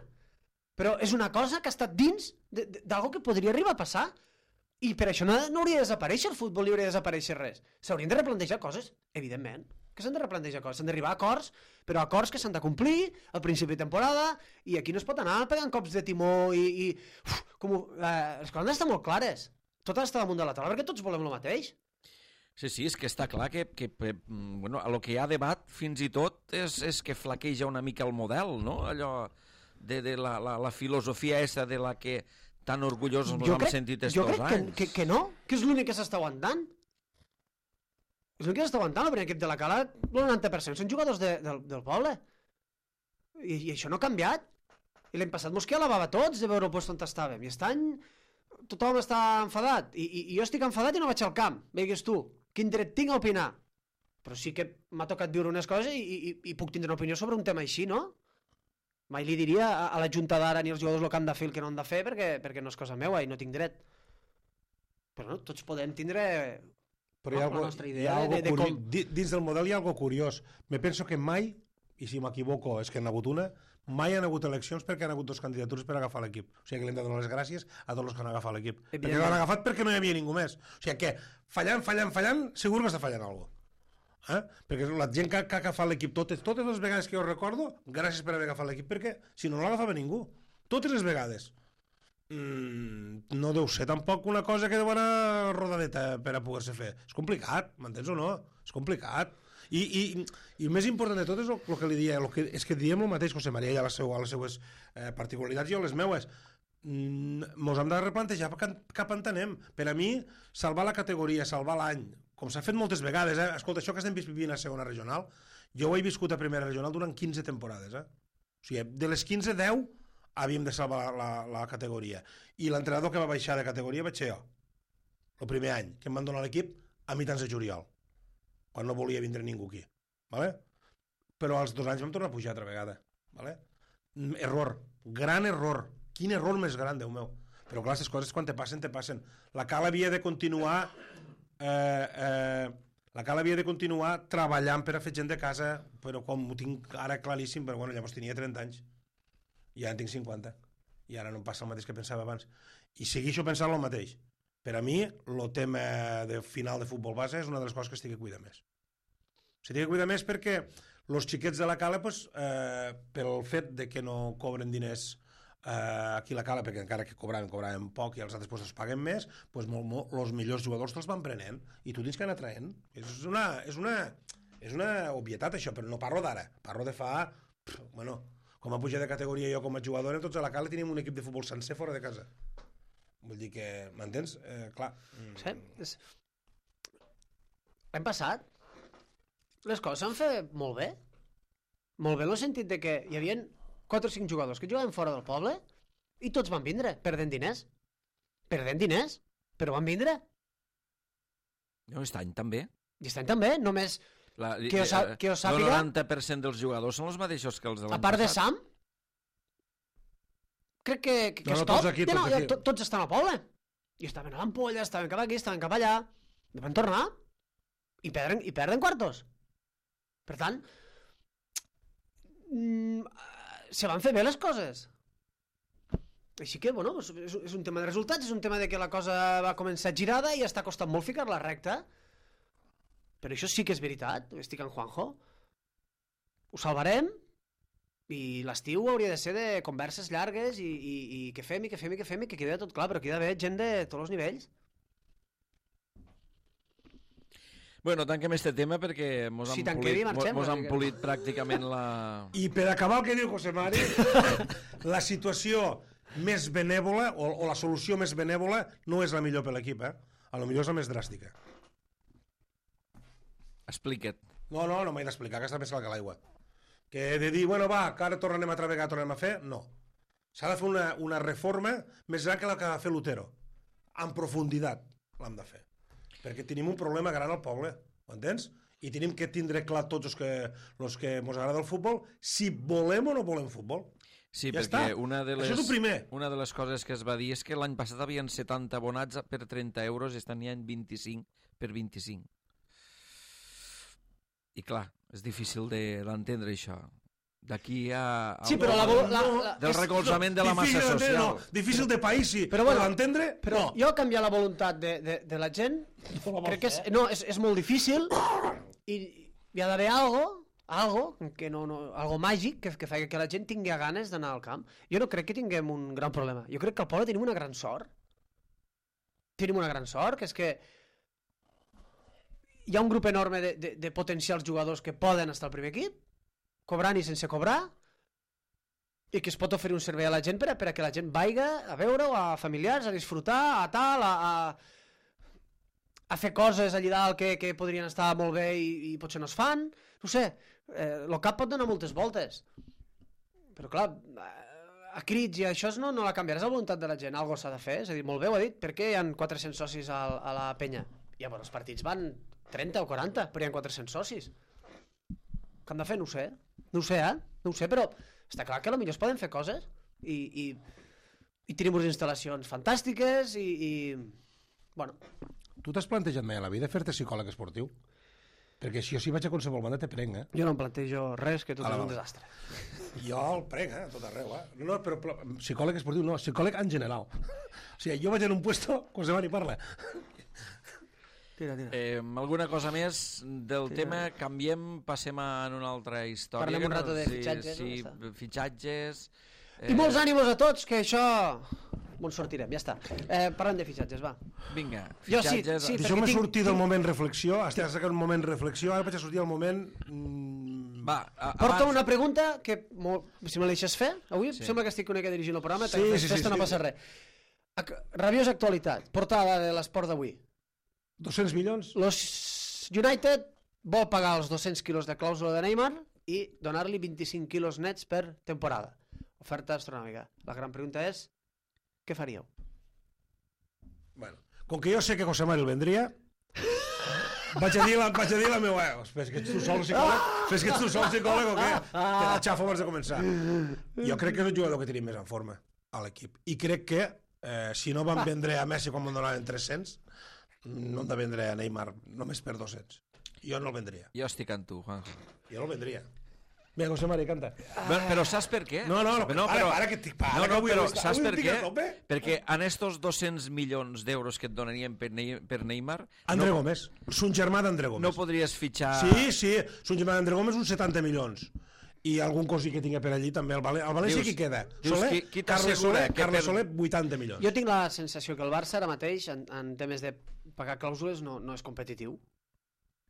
però és una cosa que ha estat dins d'algo que podria arribar a passar, i per això no hauria de desaparèixer el futbol, ni hauria de desaparèixer res. S'haurien de replantejar coses, evidentment, que s'han de replantejar coses, s'han d'arribar a acords, però acords que s'han de complir al principi de temporada, i aquí no es pot anar pegant cops de timó les coses han d'estar molt clares, tot ha d'estar damunt de la taula, perquè tots volem el mateix. Sí, és que està clar que bueno, a lo que hi ha debat fins i tot és que flaqueja una mica el model, no? Allò de la filosofia esa de la que tan orgullosos ens hem sentit estos anys. Jo crec que no, que és l'únic que s'està aguantant. És l'únic que s'està aguantant, el primer equip de la Cala, el 90% són jugadors del poble. I això no ha canviat. I l'any passat mos alabava tots de veure el lloc on estàvem. I aquest any tothom està enfadat. I jo estic enfadat i no vaig al camp. Veigues tu, quin dret tinc a opinar? Però sí que m'ha tocat viure unes coses i puc tindre una opinió sobre un tema així, no? Mai li diria a la junta d'ara ni als jugadors el que han de fer el que no han de fer perquè no és cosa meua i no tinc dret. Però no, tots podem tindre la nostra idea de com... Dins del model hi ha algo curiós. Me penso que mai, i si m'equivoco és que n'ha hagut una, mai han hagut eleccions perquè han hagut dos candidatures per agafar l'equip. O sigui que li hem de donar les gràcies a tots els que han agafat l'equip. Perquè l'han agafat perquè no hi havia ningú més. O sigui que fallant, segur que està fallant alguna cosa. Perquè la gent que ha agafat l'equip totes les vegades que jo recordo, gràcies per haver agafat l'equip, perquè si no l'agafava ningú, totes les vegades. no deu ser tampoc una cosa que deu anar rodadeta per a poder-se fer. És complicat, m'entens o no? És complicat. I el més important de tot és el que li dia, és que diem el mateix, José María, i a les seues particularitats i a les meues. Mos hem de replantejar cap on anem. Per a mi, salvar la categoria, salvar l'any, com s'ha fet moltes vegades, escolta, això que estem vivint a segona regional, jo ho he viscut a primera regional durant 15 temporades. O sigui, de les 15, 10 havíem de salvar la categoria. I l'entrenador que va baixar de categoria vaig ser jo. El primer any, que em van donar l'equip a mitjans de juliol, quan no volia vindre ningú aquí. Vale? Però als 2 anys vam tornar a pujar altra vegada. Vale? Error, gran error. Quin error més gran, Déu meu. Però clar, aquestes coses quan te passen, te passen. La Cal havia de continuar treballant per a fer gent de casa, però com ho tinc ara claríssim, però bueno, llavors tenia 30 anys i ara en tinc 50 i ara no em passa el mateix que pensava abans i segueixo pensant el mateix. Per a mi el tema de final de futbol base és una de les coses que estic a cuidar més. Estic a cuidar més perquè els xiquets de la Cala, pel fet de que no cobren diners aquí a la Cala, perquè encara que cobraven poc i els altres els paguen més, els millors jugadors te'ls van prenent i tu tens que anar traient. És una obvietat això, però no parlo d'ara, parlo de fa com a pujar de categoria jo com a jugador, tots a la Cala teníem un equip de futbol sencer fora de casa. Vull dir que, m'entens? Clar. Sí. L'any passat les coses s'han fet molt bé. Molt bé en el sentit de que hi havia 4 o 5 jugadors que jugaven fora del poble i tots van vindre, perdent diners, però van vindre. No, aquest any també. I aquest any també, només que jo sàpiga... El 90% dels jugadors són els mateixos que els de l'any passat. A part de Sam, crec que és top. Tots estan al poble. I estaven a l'Ampolla, estaven cap aquí, estaven cap allà. I van tornar i perden quartos. Per tant, se van fer bé les coses. Així que, bueno, és un tema de resultats, és un tema de que la cosa va començar girada i està costant molt ficar-la recta. Però això sí que és veritat, estic amb Juanjo. Ho salvarem i l'estiu hauria de ser de converses llargues i que fem i que quedi tot clar, però aquí hi ha d'haver gent de tots els nivells. Bueno, tanquem este tema perquè mos han polit pràcticament la... I per acabar el que diu José Mari, la situació més benèvola o la solució més benèvola no és la millor per l'equip, a lo millor és la més dràstica. Explica't. No m'he d'explicar, que està més clar que l'aigua. Que de dir, bueno, va, que ara tornem a travegar, tornem a fer, no. S'ha de fer una reforma més gran que la que va fer Lutero. En profunditat l'hem de fer. Perquè tenim un problema gran al poble, m'entens? I tenim que tindre clar tots els que ens agrada el futbol, si volem o no volem futbol. Sí, ja perquè això és el primer. Una de les coses que es va dir és que l'any passat havien 70 abonats per 30 euros i estan ja en 25 per 25. I clar, és difícil d'entendre això. D'aquí a... Sí, però del recolzament de la massa social. No, difícil de país, sí. Però bueno, d'entendre, però jo canviar la voluntat de la gent crec que és molt difícil i hi ha d'haver algo màgic que faci que la gent tingui ganes d'anar al camp. Jo no crec que tinguem un gran problema. Jo crec que al poble tenim una gran sort. Tenim una gran sort, que és que hi ha un grup enorme de potencials jugadors que poden estar al primer equip, cobrant i sense cobrar, i que es pot oferir un servei a la gent per a que la gent vaiga a veure-ho, a familiars, a disfrutar, a tal, a fer coses allà dalt que podrien estar molt bé i potser no es fan. No sé, el cap pot donar moltes voltes. Però clar, a crits i això no la canviaràs la voluntat de la gent, algo s'ha de fer. És a dir, molt bé ho ha dit, per què hi ha 400 socis a la penya? Ja, bueno, els partits van 30 o 40, però hi ha 400 socis. Què hem de fer? No ho sé, però està clar que potser es poden fer coses i tenim unes instal·lacions fantàstiques i bueno. Tu t'has plantejat mai a la vida fer-te psicòleg esportiu? Perquè si jo si vaig a qualsevol banda te prenc, Jo no em plantejo res, que tot és un desastre. Jo el prenc, a tot arreu, No, però psicòleg esportiu no, psicòleg en general. O sigui, jo vaig en un puesto, José Mari parla. Tira. Alguna cosa més del tema? Canviem, passem a una altra història. Parlem un rato de fitxatges. Sí, fitxatges. I molts ànimos a tots, que això on sortirem, ja està. Parlem de fitxatges, va. Vinga, Jo sí, fitxatges... sí. Deixeu-me perquè sortir del moment reflexió, estic sacant un moment reflexió, ara vaig a sortir al moment... Va, Porto una pregunta que, si me la deixes fer, avui sembla que estic una mica dirigint el programa, festa no passa res. Rabiosa actualitat, portada de l'esport d'avui. 200 milions? Los United vol pagar els 200 quilos de clàusula de Neymar i donar-li 25 quilos nets per temporada. Oferta astronòmica. La gran pregunta és, què faríeu? Bueno, com que jo sé que José Mari el vendria, vaig a dir la meva... Fes que ets tu sol psicòleg o què? Que la xafo abans de començar. Jo crec que és el jugador que tenim més en forma a l'equip. I crec que si no van vendre a Messi quan me'n donaven 300, no hem de vendre a Neymar només per 200. Jo no el vendria. Jo estic amb tu, Juanjo. Jo no el vendria. Vinga, José Mari, canta. Però saps per què? No, para, que estic... Però saps per què? Perquè en estos 200 milions d'euros que et donarien per Neymar... André Gómez, son germà d'André Gómez. No podries fitxar... Sí, son germà d'André Gómez, uns 70 milions. I algun cosí que tinga per allí també. El València qui queda? Soler, Carles Soler, 80 milions. Jo tinc la sensació que el Barça ara mateix, en temes de pagar clàusules, no és competitiu.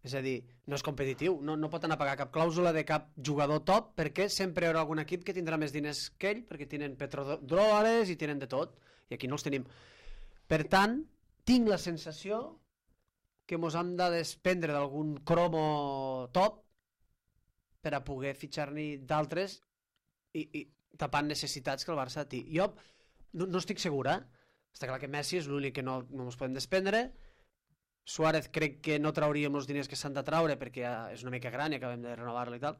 És a dir, no és competitiu, no pot anar a pagar cap clàusula de cap jugador top perquè sempre hi haurà algun equip que tindrà més diners que ell perquè tenen petrodòlars i tenen de tot, i aquí no els tenim. Per tant, tinc la sensació que mos hem de desprendre d'algun cromo top per a poder fitxar-ne d'altres i tapant necessitats que el Barça té. Jo no estic segura, està clar que Messi és l'únic que no ens podem desprendre. Suárez crec que no trauríem els diners que s'han de traure perquè és una mica gran i acabem de renovar-lo i tal.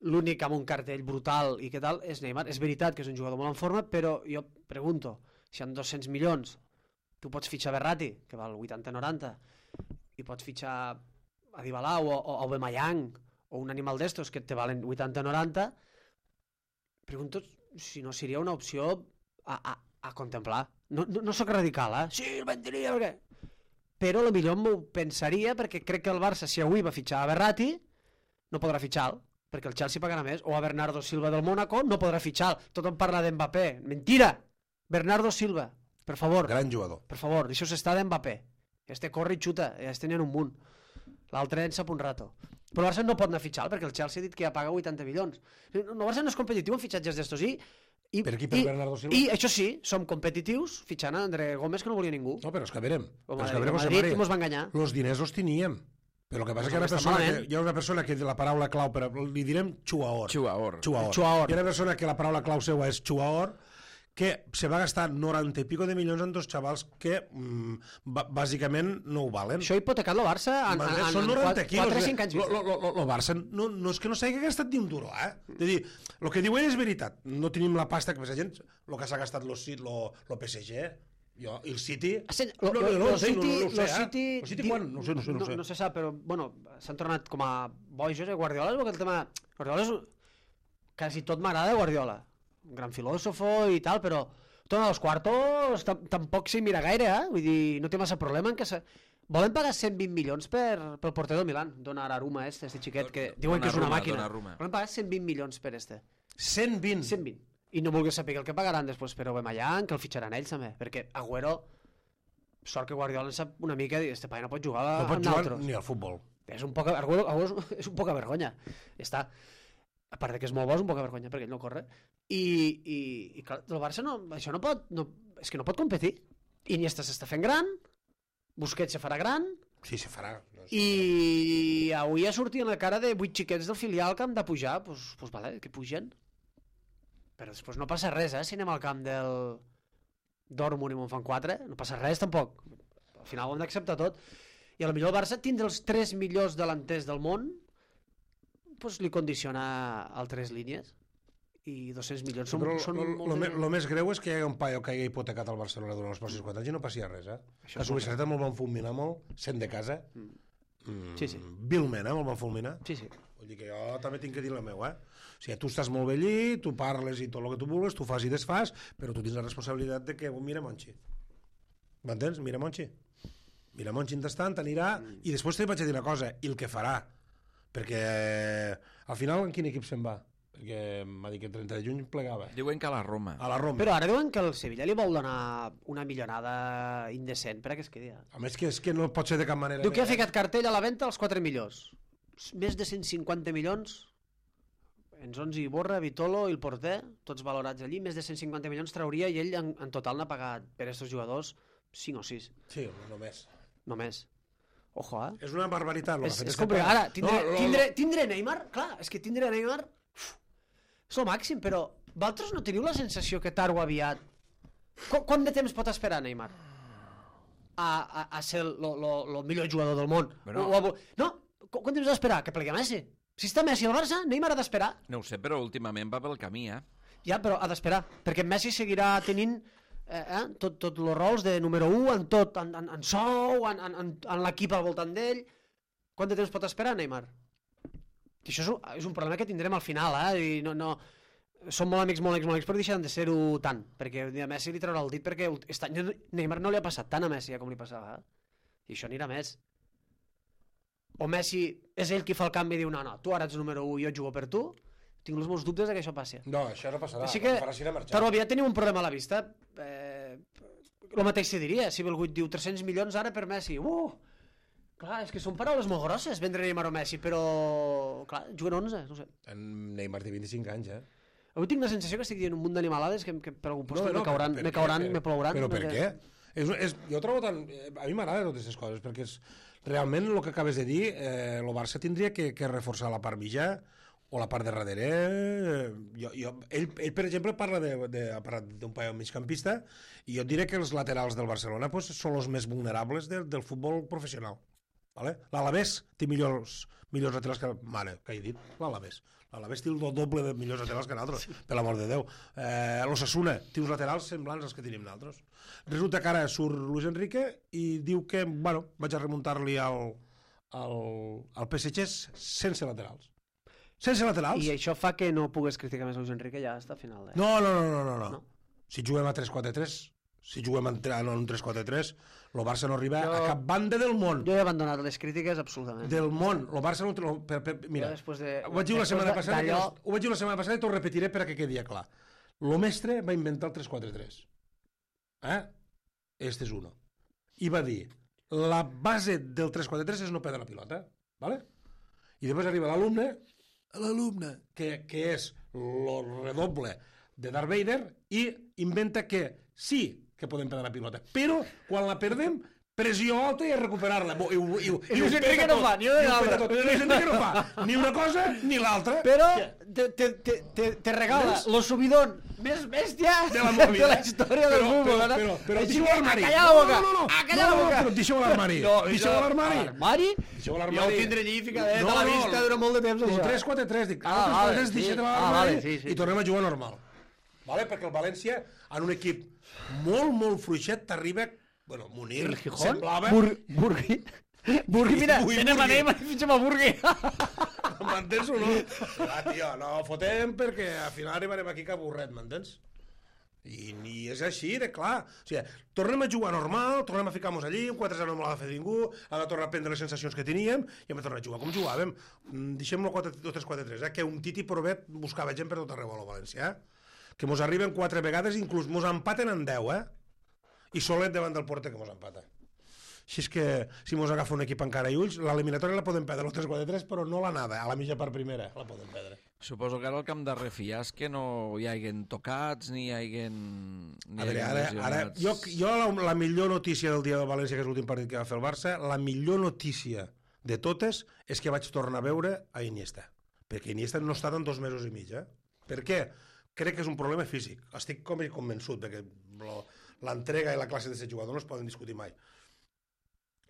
L'únic amb un cartell brutal i què tal és Neymar. És veritat que és un jugador molt en forma, però jo pregunto, si amb 200 milions tu pots fitxar Verratti, que val 80-90, i pots fitxar a Dybala o Aubameyang o un animal d'estos que te valen 80-90, pregunto si no seria una opció a contemplar. No sóc radical, Sí, el vendria, perquè... Però potser m'ho pensaria perquè crec que el Barça, si avui va fitxar a Verratti, no podrà fitxar-lo, perquè el Chelsea pagarà més, o a Bernardo Silva del Mónaco no podrà fitxar-lo. Tothom parla d'Mbappé. Mentira! Bernardo Silva, per favor. Gran jugador. Per favor, deixeu-se estar d'Mbappé. Este corre i xuta, ja es tenien un munt. L'altre en sap un rato. Però el Barça no pot anar a fitxar perquè el Chelsea ha dit que ja paga 80 milions. El Barça no és competitiu en fitxatges d'estos per aquí, per Bernardo Silva? I això sí, som competitius fitxant a André Gómez que no volia ningú. No, però és que verem. Madrid mos va enganyar. Los diners els teníem. Però el que passa és que hi ha una persona que la paraula clau, li direm xuaor. Xuaor. Hi ha una persona que la paraula clau seva és xuaor, que se va gastar 90 i pico de milions en dos xavals que bàsicament no ho valen. Això ha hipotecat el Barça en 4-5 anys. El Barça no és que no s'hagi gastat ni un duro, És a dir, el que diu ell és veritat. No tenim la pasta que la gent, el que s'ha gastat el PSG, i el City... El City quan? No sé. No se sap, però s'han tornat com a bojos, Guardiola, perquè el tema... Guardiola és... Quasi tot m'agrada Guardiola. Un gran filòsofo i tal, però torna als quartos tampoc s'hi mira gaire, Vull dir, no té massa problema en que volen pagar 120 milions pel porter del Milan, Donnarumma, este xiquet, que diuen que és una màquina. Volen pagar 120 milions per este. 120? 120. I no vulguis saber el que pagaran després per Aubameyang, que el fitxaran ells també, perquè Agüero, sort que Guardiola en sap una mica, este paio no pot jugar amb nosaltres. No pot jugar ni al futbol. Agüero és un poca vergonya. Ja està. A part que és molt bo, és un poca vergonya, perquè ell no corre. I clar, el Barça això no pot, és que no pot competir. Iniesta s'està fent gran, Busquets se farà gran... Sí, se farà. I avui ha sortit en la cara de 8 xiquets del filial que han de pujar, doncs vale, que pugen. Però després no passa res, si anem al camp del Dortmund i me'n fan 4, no passa res tampoc. Al final ho hem d'acceptar tot. I potser el Barça tindre els 3 millors delanters del món doncs li condiciona altres línies i 200 milions són molts diners. El més greu és que hi hagi un paio que hagi hipotecat al Barcelona durant els pròxims 4 anys i no passi res, La Subisareta me'l van fulminar molt, sent de casa. Sí. Vilment, me'l van fulminar. Sí. Vull dir que jo també tinc que dir la meva, O sigui, tu estàs molt bé allí, tu parles i tot el que tu vulguis, tu fas i desfas, però tu tens la responsabilitat de que mira Monchi. M'entens? Mira Monchi. Mira Monchi entretant anirà i després te vaig a dir una cosa, i el que farà. Perquè al final en quin equip se'n va? perquè m'ha dit que el 30 de juny plegava. Diuen que a la Roma. A la Roma. Però ara diuen que el Sevilla li vol donar una millonada indecent perquè es quedi. A més que és que no pot ser de cap manera. Diu que ha ficat cartell a la venda als 4 millors. Més de 150 milions. Enzonzi, Iborra, Vitolo i el porter, tots valorats allí, més de 150 milions trauria i ell en total n'ha pagat per aquests jugadors 5 o 6. Sí, només. Només. Ojo, És una barbaritat. És complicat. Ara, tindre Neymar, clar, és que tindre Neymar és el màxim, però vosaltres no teniu la sensació que tard o aviat... Quant de temps pot esperar Neymar a ser el millor jugador del món? No, quant temps ha d'esperar? Que plegui Messi. Si està Messi al Barça, Neymar ha d'esperar. No ho sé, però últimament va pel camí, Ja, però ha d'esperar, perquè Messi seguirà tenint tots els rols de número 1 en tot, en sou, en l'equip al voltant d'ell. Quant de temps pot esperar Neymar? I això és un problema que tindrem al final, i no, som molt amics, però deixen de ser-ho tant, perquè a Messi li traurà el dit, perquè aquest any Neymar no li ha passat tant a Messi com li passava, i això anirà més. O Messi és ell qui fa el canvi i diu no, tu ara ets número 1 i jo jugo per tu, tinc els meus dubtes que això passi. No, això no passarà. Així que, però aviat tenim un problema a la vista. El mateix se diria, si Belgut diu 300 milions ara per Messi. Clar, és que són paraules molt grosses, vendre Neymar o Messi, però clar, juguen 11, no sé. En Neymar té 25 anys, Avui tinc la sensació que estic dient un munt d'animalades que per algun lloc me cauran, me plouran. Però per què? Jo trobo tant... A mi m'agraden totes aquestes coses, perquè realment el que acabes de dir, el Barça tindria que reforçar la part mitjà o la part de darrere. Ell, per exemple, parla d'un paio migcampista i jo et diré que els laterals del Barcelona són els més vulnerables del futbol professional. L'Alavés té millors laterals que... Mare, què he dit? L'Alavés té el doble de millors laterals que nosaltres, per l'amor de Déu. L'Osasuna té uns laterals semblants als que tenim nosaltres. Resulta que ara surt Luis Enrique i diu que, vaig a remuntar-li al PSG sense laterals. Sense laterals. I això fa que no pugues criticar més Luis Enrique ja hasta final. No. Si juguem a 3-4-3, si juguem en un 3-4-3, el Barça no arriba a cap banda del món. Jo he abandonat les crítiques absolutament. Del món. El Barça no... Mira, ho vaig dir la setmana passada i t'ho repetiré perquè quedi clar. Lo mestre va inventar el 3-4-3. Este és uno. I va dir, la base del 3-4-3 és no perdre la pilota. ¿Vale? I després arriba l'alumne, que és el redoble de Darth Vader, i inventa que sí que podem perdre la pilota, però quan la perdem, pressió alta i a recuperar-la. I Luis Enrique no fa, ni una cosa ni l'altra. Però te regala el subidón més bèstia de la història del futbol. Però deixeu l'armari. A callar la boca. A callar la boca. Però deixeu l'armari. Deixeu l'armari. L'armari? Jo ho tindré allí ficadet a la vista durant molt de temps. El 3-4-3, dic. El 3-4-3 deixeu l'armari i tornem a jugar normal. Perquè el València, en un equip molt fluixet, t'arriba... Bueno, Munir semblava... Burgui, mira, tenen la Neymar i fitxem a Burgui. M'entens o no? Tio, no fotem perquè al final arribarem aquí que avorret, m'entens? I és així, de clar. O sigui, tornem a jugar normal, tornem a ficar-nos allí, un 4-0 no l'ha de fer ningú, hem de tornar a prendre les sensacions que teníem i hem de tornar a jugar com jugàvem. Deixem-lo 3-4-3, que un Titi Provet buscava gent per tot arreu a la València, que mos arriben 4 vegades, inclús mos empaten en 10, i Solet davant del porter que mos empata. Així és que, si mos agafa un equip encara i ulls, l'eliminatòria la podem perdre, el 3-4-3, però no l'anada, a la mitja part primera la podem perdre. Suposo que ara el camp de refiar és que no hi haguen tocats ni hi haguen... A veure, ara jo la millor notícia del dia del València, que és l'últim partit que va fer el Barça, la millor notícia de totes és que vaig tornar a veure a Iniesta, perquè Iniesta no ha estat en 2 mesos i mig. Per què? Crec que és un problema físic. Estic convençut perquè l'entrega i la classe de ser jugador no es poden discutir mai.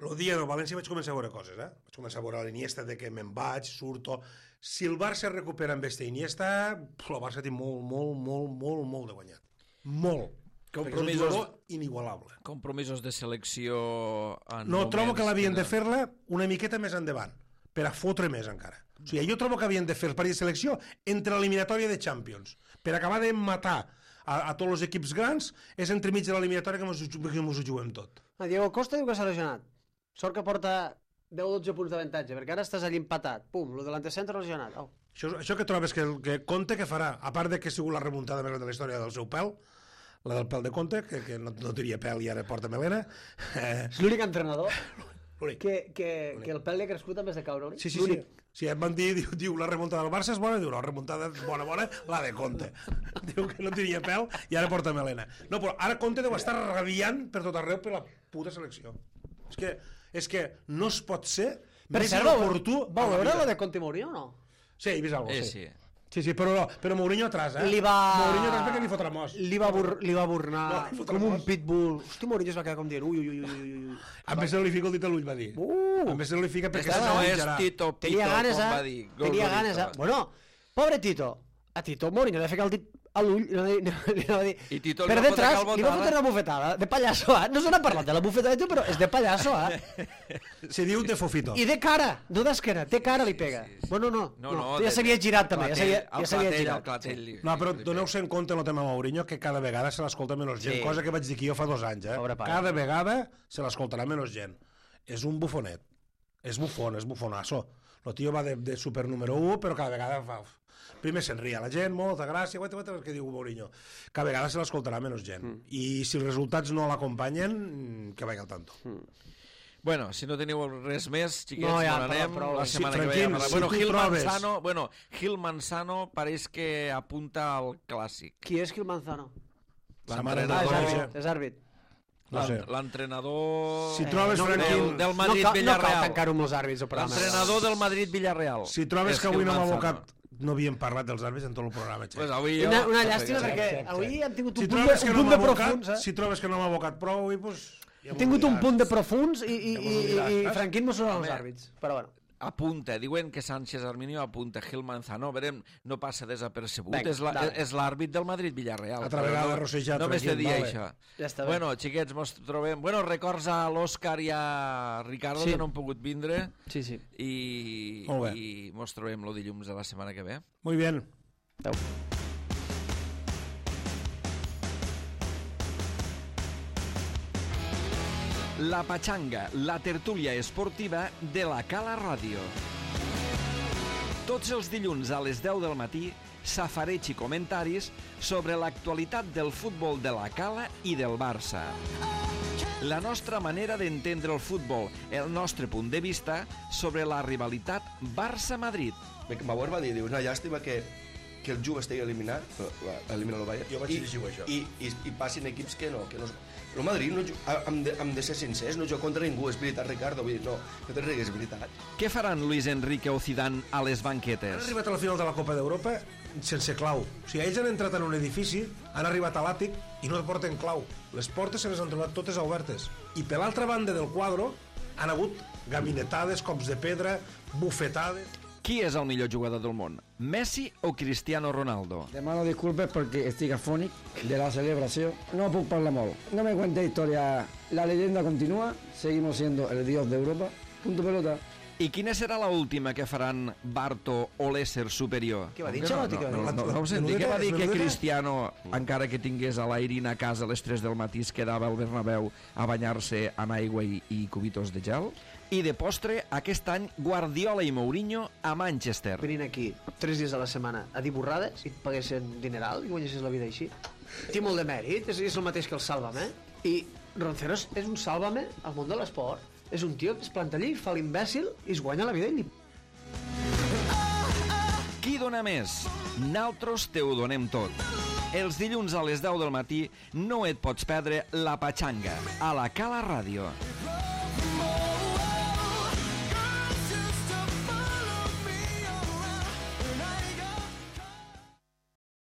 El dia del València vaig començar a veure coses, Vaig començar a veure l'Iniesta de que me'n vaig, surto... Si el Barça recupera amb este Iniesta, el Barça té molt de guanyat. Molt. Perquè és un jugador inigualable. Compromisos de selecció... No, trobo que l'havien de fer-la una miqueta més endavant, per a fotre més encara. O sigui, jo trobo que havien de fer el partit de selecció entre l'eliminatòria de Champions, per acabar de matar a tots els equips grans, és entremig de l'eliminatòria que ens ho juguem tot. Diego Costa diu que s'ha lesionat. Sort que porta 10-12 punts d'avantatge, perquè ara estàs allí empatat. Pum, lo de l'antecentre lesionat. Oh. Això que trobes que Conte que farà, a part de que ha sigut la remuntada més gran de la història del seu pèl, la del pèl de Conte, que no tenia pèl i ara porta melena. És l'únic entrenador L'únic. que el pèl li ha crescut en vez de caure. Sí. Si et van dir, diu, la remuntada del Barça és bona, diu, la remuntada bona, la de Conte. Diu que no tenia pèl i ara porta melena. No, però ara Conte deu estar rabiant per tot arreu per la puta selecció. És que no es pot ser més inoportú. Vau veure la de Conte i Mourinho o no? Sí, he vist alguna cosa, sí. Sí, però Mourinho atrás, eh? Mourinho atrás perquè li fotrà mos. Li va burnar com un pitbull. Hosti, Mourinho es va quedar com dient ui. A més li fica el dit a l'ull, va dir. A més li fica perquè no és Tito Pito, com va dir. Tenia ganes, Bueno, pobre Tito. A Tito Mourinho li va ficar el dit a l'ull, li va dir... I Tito per detrás li va fotre una bufetada de pallasso, No se n'ha parlat de la bufetada de tu, però és de pallasso, Se diu de fofito. I de cara, no d'esquena, té cara li pega. Bueno, no, ja s'havia girat també, ja s'havia girat. No, però doneu-se en compte en el tema Mourinho que cada vegada se l'escolta menys gent, cosa que vaig dir que jo fa 2 anys, Cada vegada se l'escoltarà menys gent. És un bufonet. És bufonasso. El tio va de super número 1, però cada vegada fa... Primer se'n ria la gent, molta gràcia, el que diu Mourinho. Cada vegada se l'escoltarà menys gent. I si els resultats no l'acompanyen, que vagi al tanto. Bueno, si no teniu res més, xiquets, anem la setmana que ve. Gil Manzano pareix que apunta al clàssic. Qui és Gil Manzano? És àrbit. L'entrenador No del Madrid-Villarreal. cal tancar-ho amb els àrbits. L'entrenador del Madrid-Villarreal. Si trobes que avui no m'ha abocat, no havíem parlat dels àrbits en tot el programa. Una llàstima perquè avui han tingut un punt de profuns. Si trobes que no m'ha abocat prou, avui, doncs... Hem tingut un punt de profuns i Franquín mos són els àrbits. Però bueno. Apunta, diuen que Sánchez Arminio apunta Gil Manzano, verem, no passa desapercebut, és l'àrbit del Madrid-Villarreal. Altra vegada rossejat. Només te dia això. Ja està bé. Bueno, xiquets, mos trobem... Bueno, records a l'Òscar i a Ricardo, que no han pogut vindre. Sí. I mos trobem el dilluns de la setmana que ve. Muy bien. Adéu. La Pachanga, la tertúlia esportiva de la Cala Ràdio. Tots els dilluns a les 10 del matí, safareig i comentaris sobre l'actualitat del futbol de la Cala i del Barça. La nostra manera d'entendre el futbol, el nostre punt de vista sobre la rivalitat Barça-Madrid. Bauer va dir, una llàstima que el Juve estigui eliminat, eliminar el Bayern, jo vaig llegir això. I passin equips que no. El Madrid, hem de ser sincers, no juga contra ningú, és veritat, Ricardo, vull dir, no te rigues, és veritat. Què faran Luis Enrique o Zidane a les banquetes? Han arribat a la final de la Copa d'Europa sense clau. O sigui, ells han entrat en un edifici, han arribat a l'àtic i no porten clau. Les portes se les han trobat totes obertes. I per l'altra banda del quadre han hagut gabinetades, cops de pedra, bufetades... Qui és el millor jugador del món? Messi o Cristiano Ronaldo? Demano disculpes perquè estic afònic de la celebració. No puc parlar molt. No me cuente historia. La leyenda continúa. Seguimos siendo el dios de Europa. Punto pelota. I quina serà l'última que faran Barto o l'ésser superior? Què va dir, Xalotti? No ho senti. Què va dir que Cristiano, encara que tingués a l'Airin a casa a les 3 del matí, es quedava al Bernabéu a banyar-se amb aigua i cubitos de gel? I de postre, aquest any, Guardiola i Mourinho a Manchester. Venint aquí 3 dies a la setmana a dir borrades i et paguessin dineral i guanyessis la vida així. Té molt de mèrit, és el mateix que el Sálvame. I Ronceros és un Sálvame al món de l'esport. És un tio que es planta allí, fa l'imbècil i es guanya la vida i Qui dona més? Naltros te ho donem tot. Els dilluns a les 10 del matí no et pots perdre La Pachanga a la Cala Ràdio.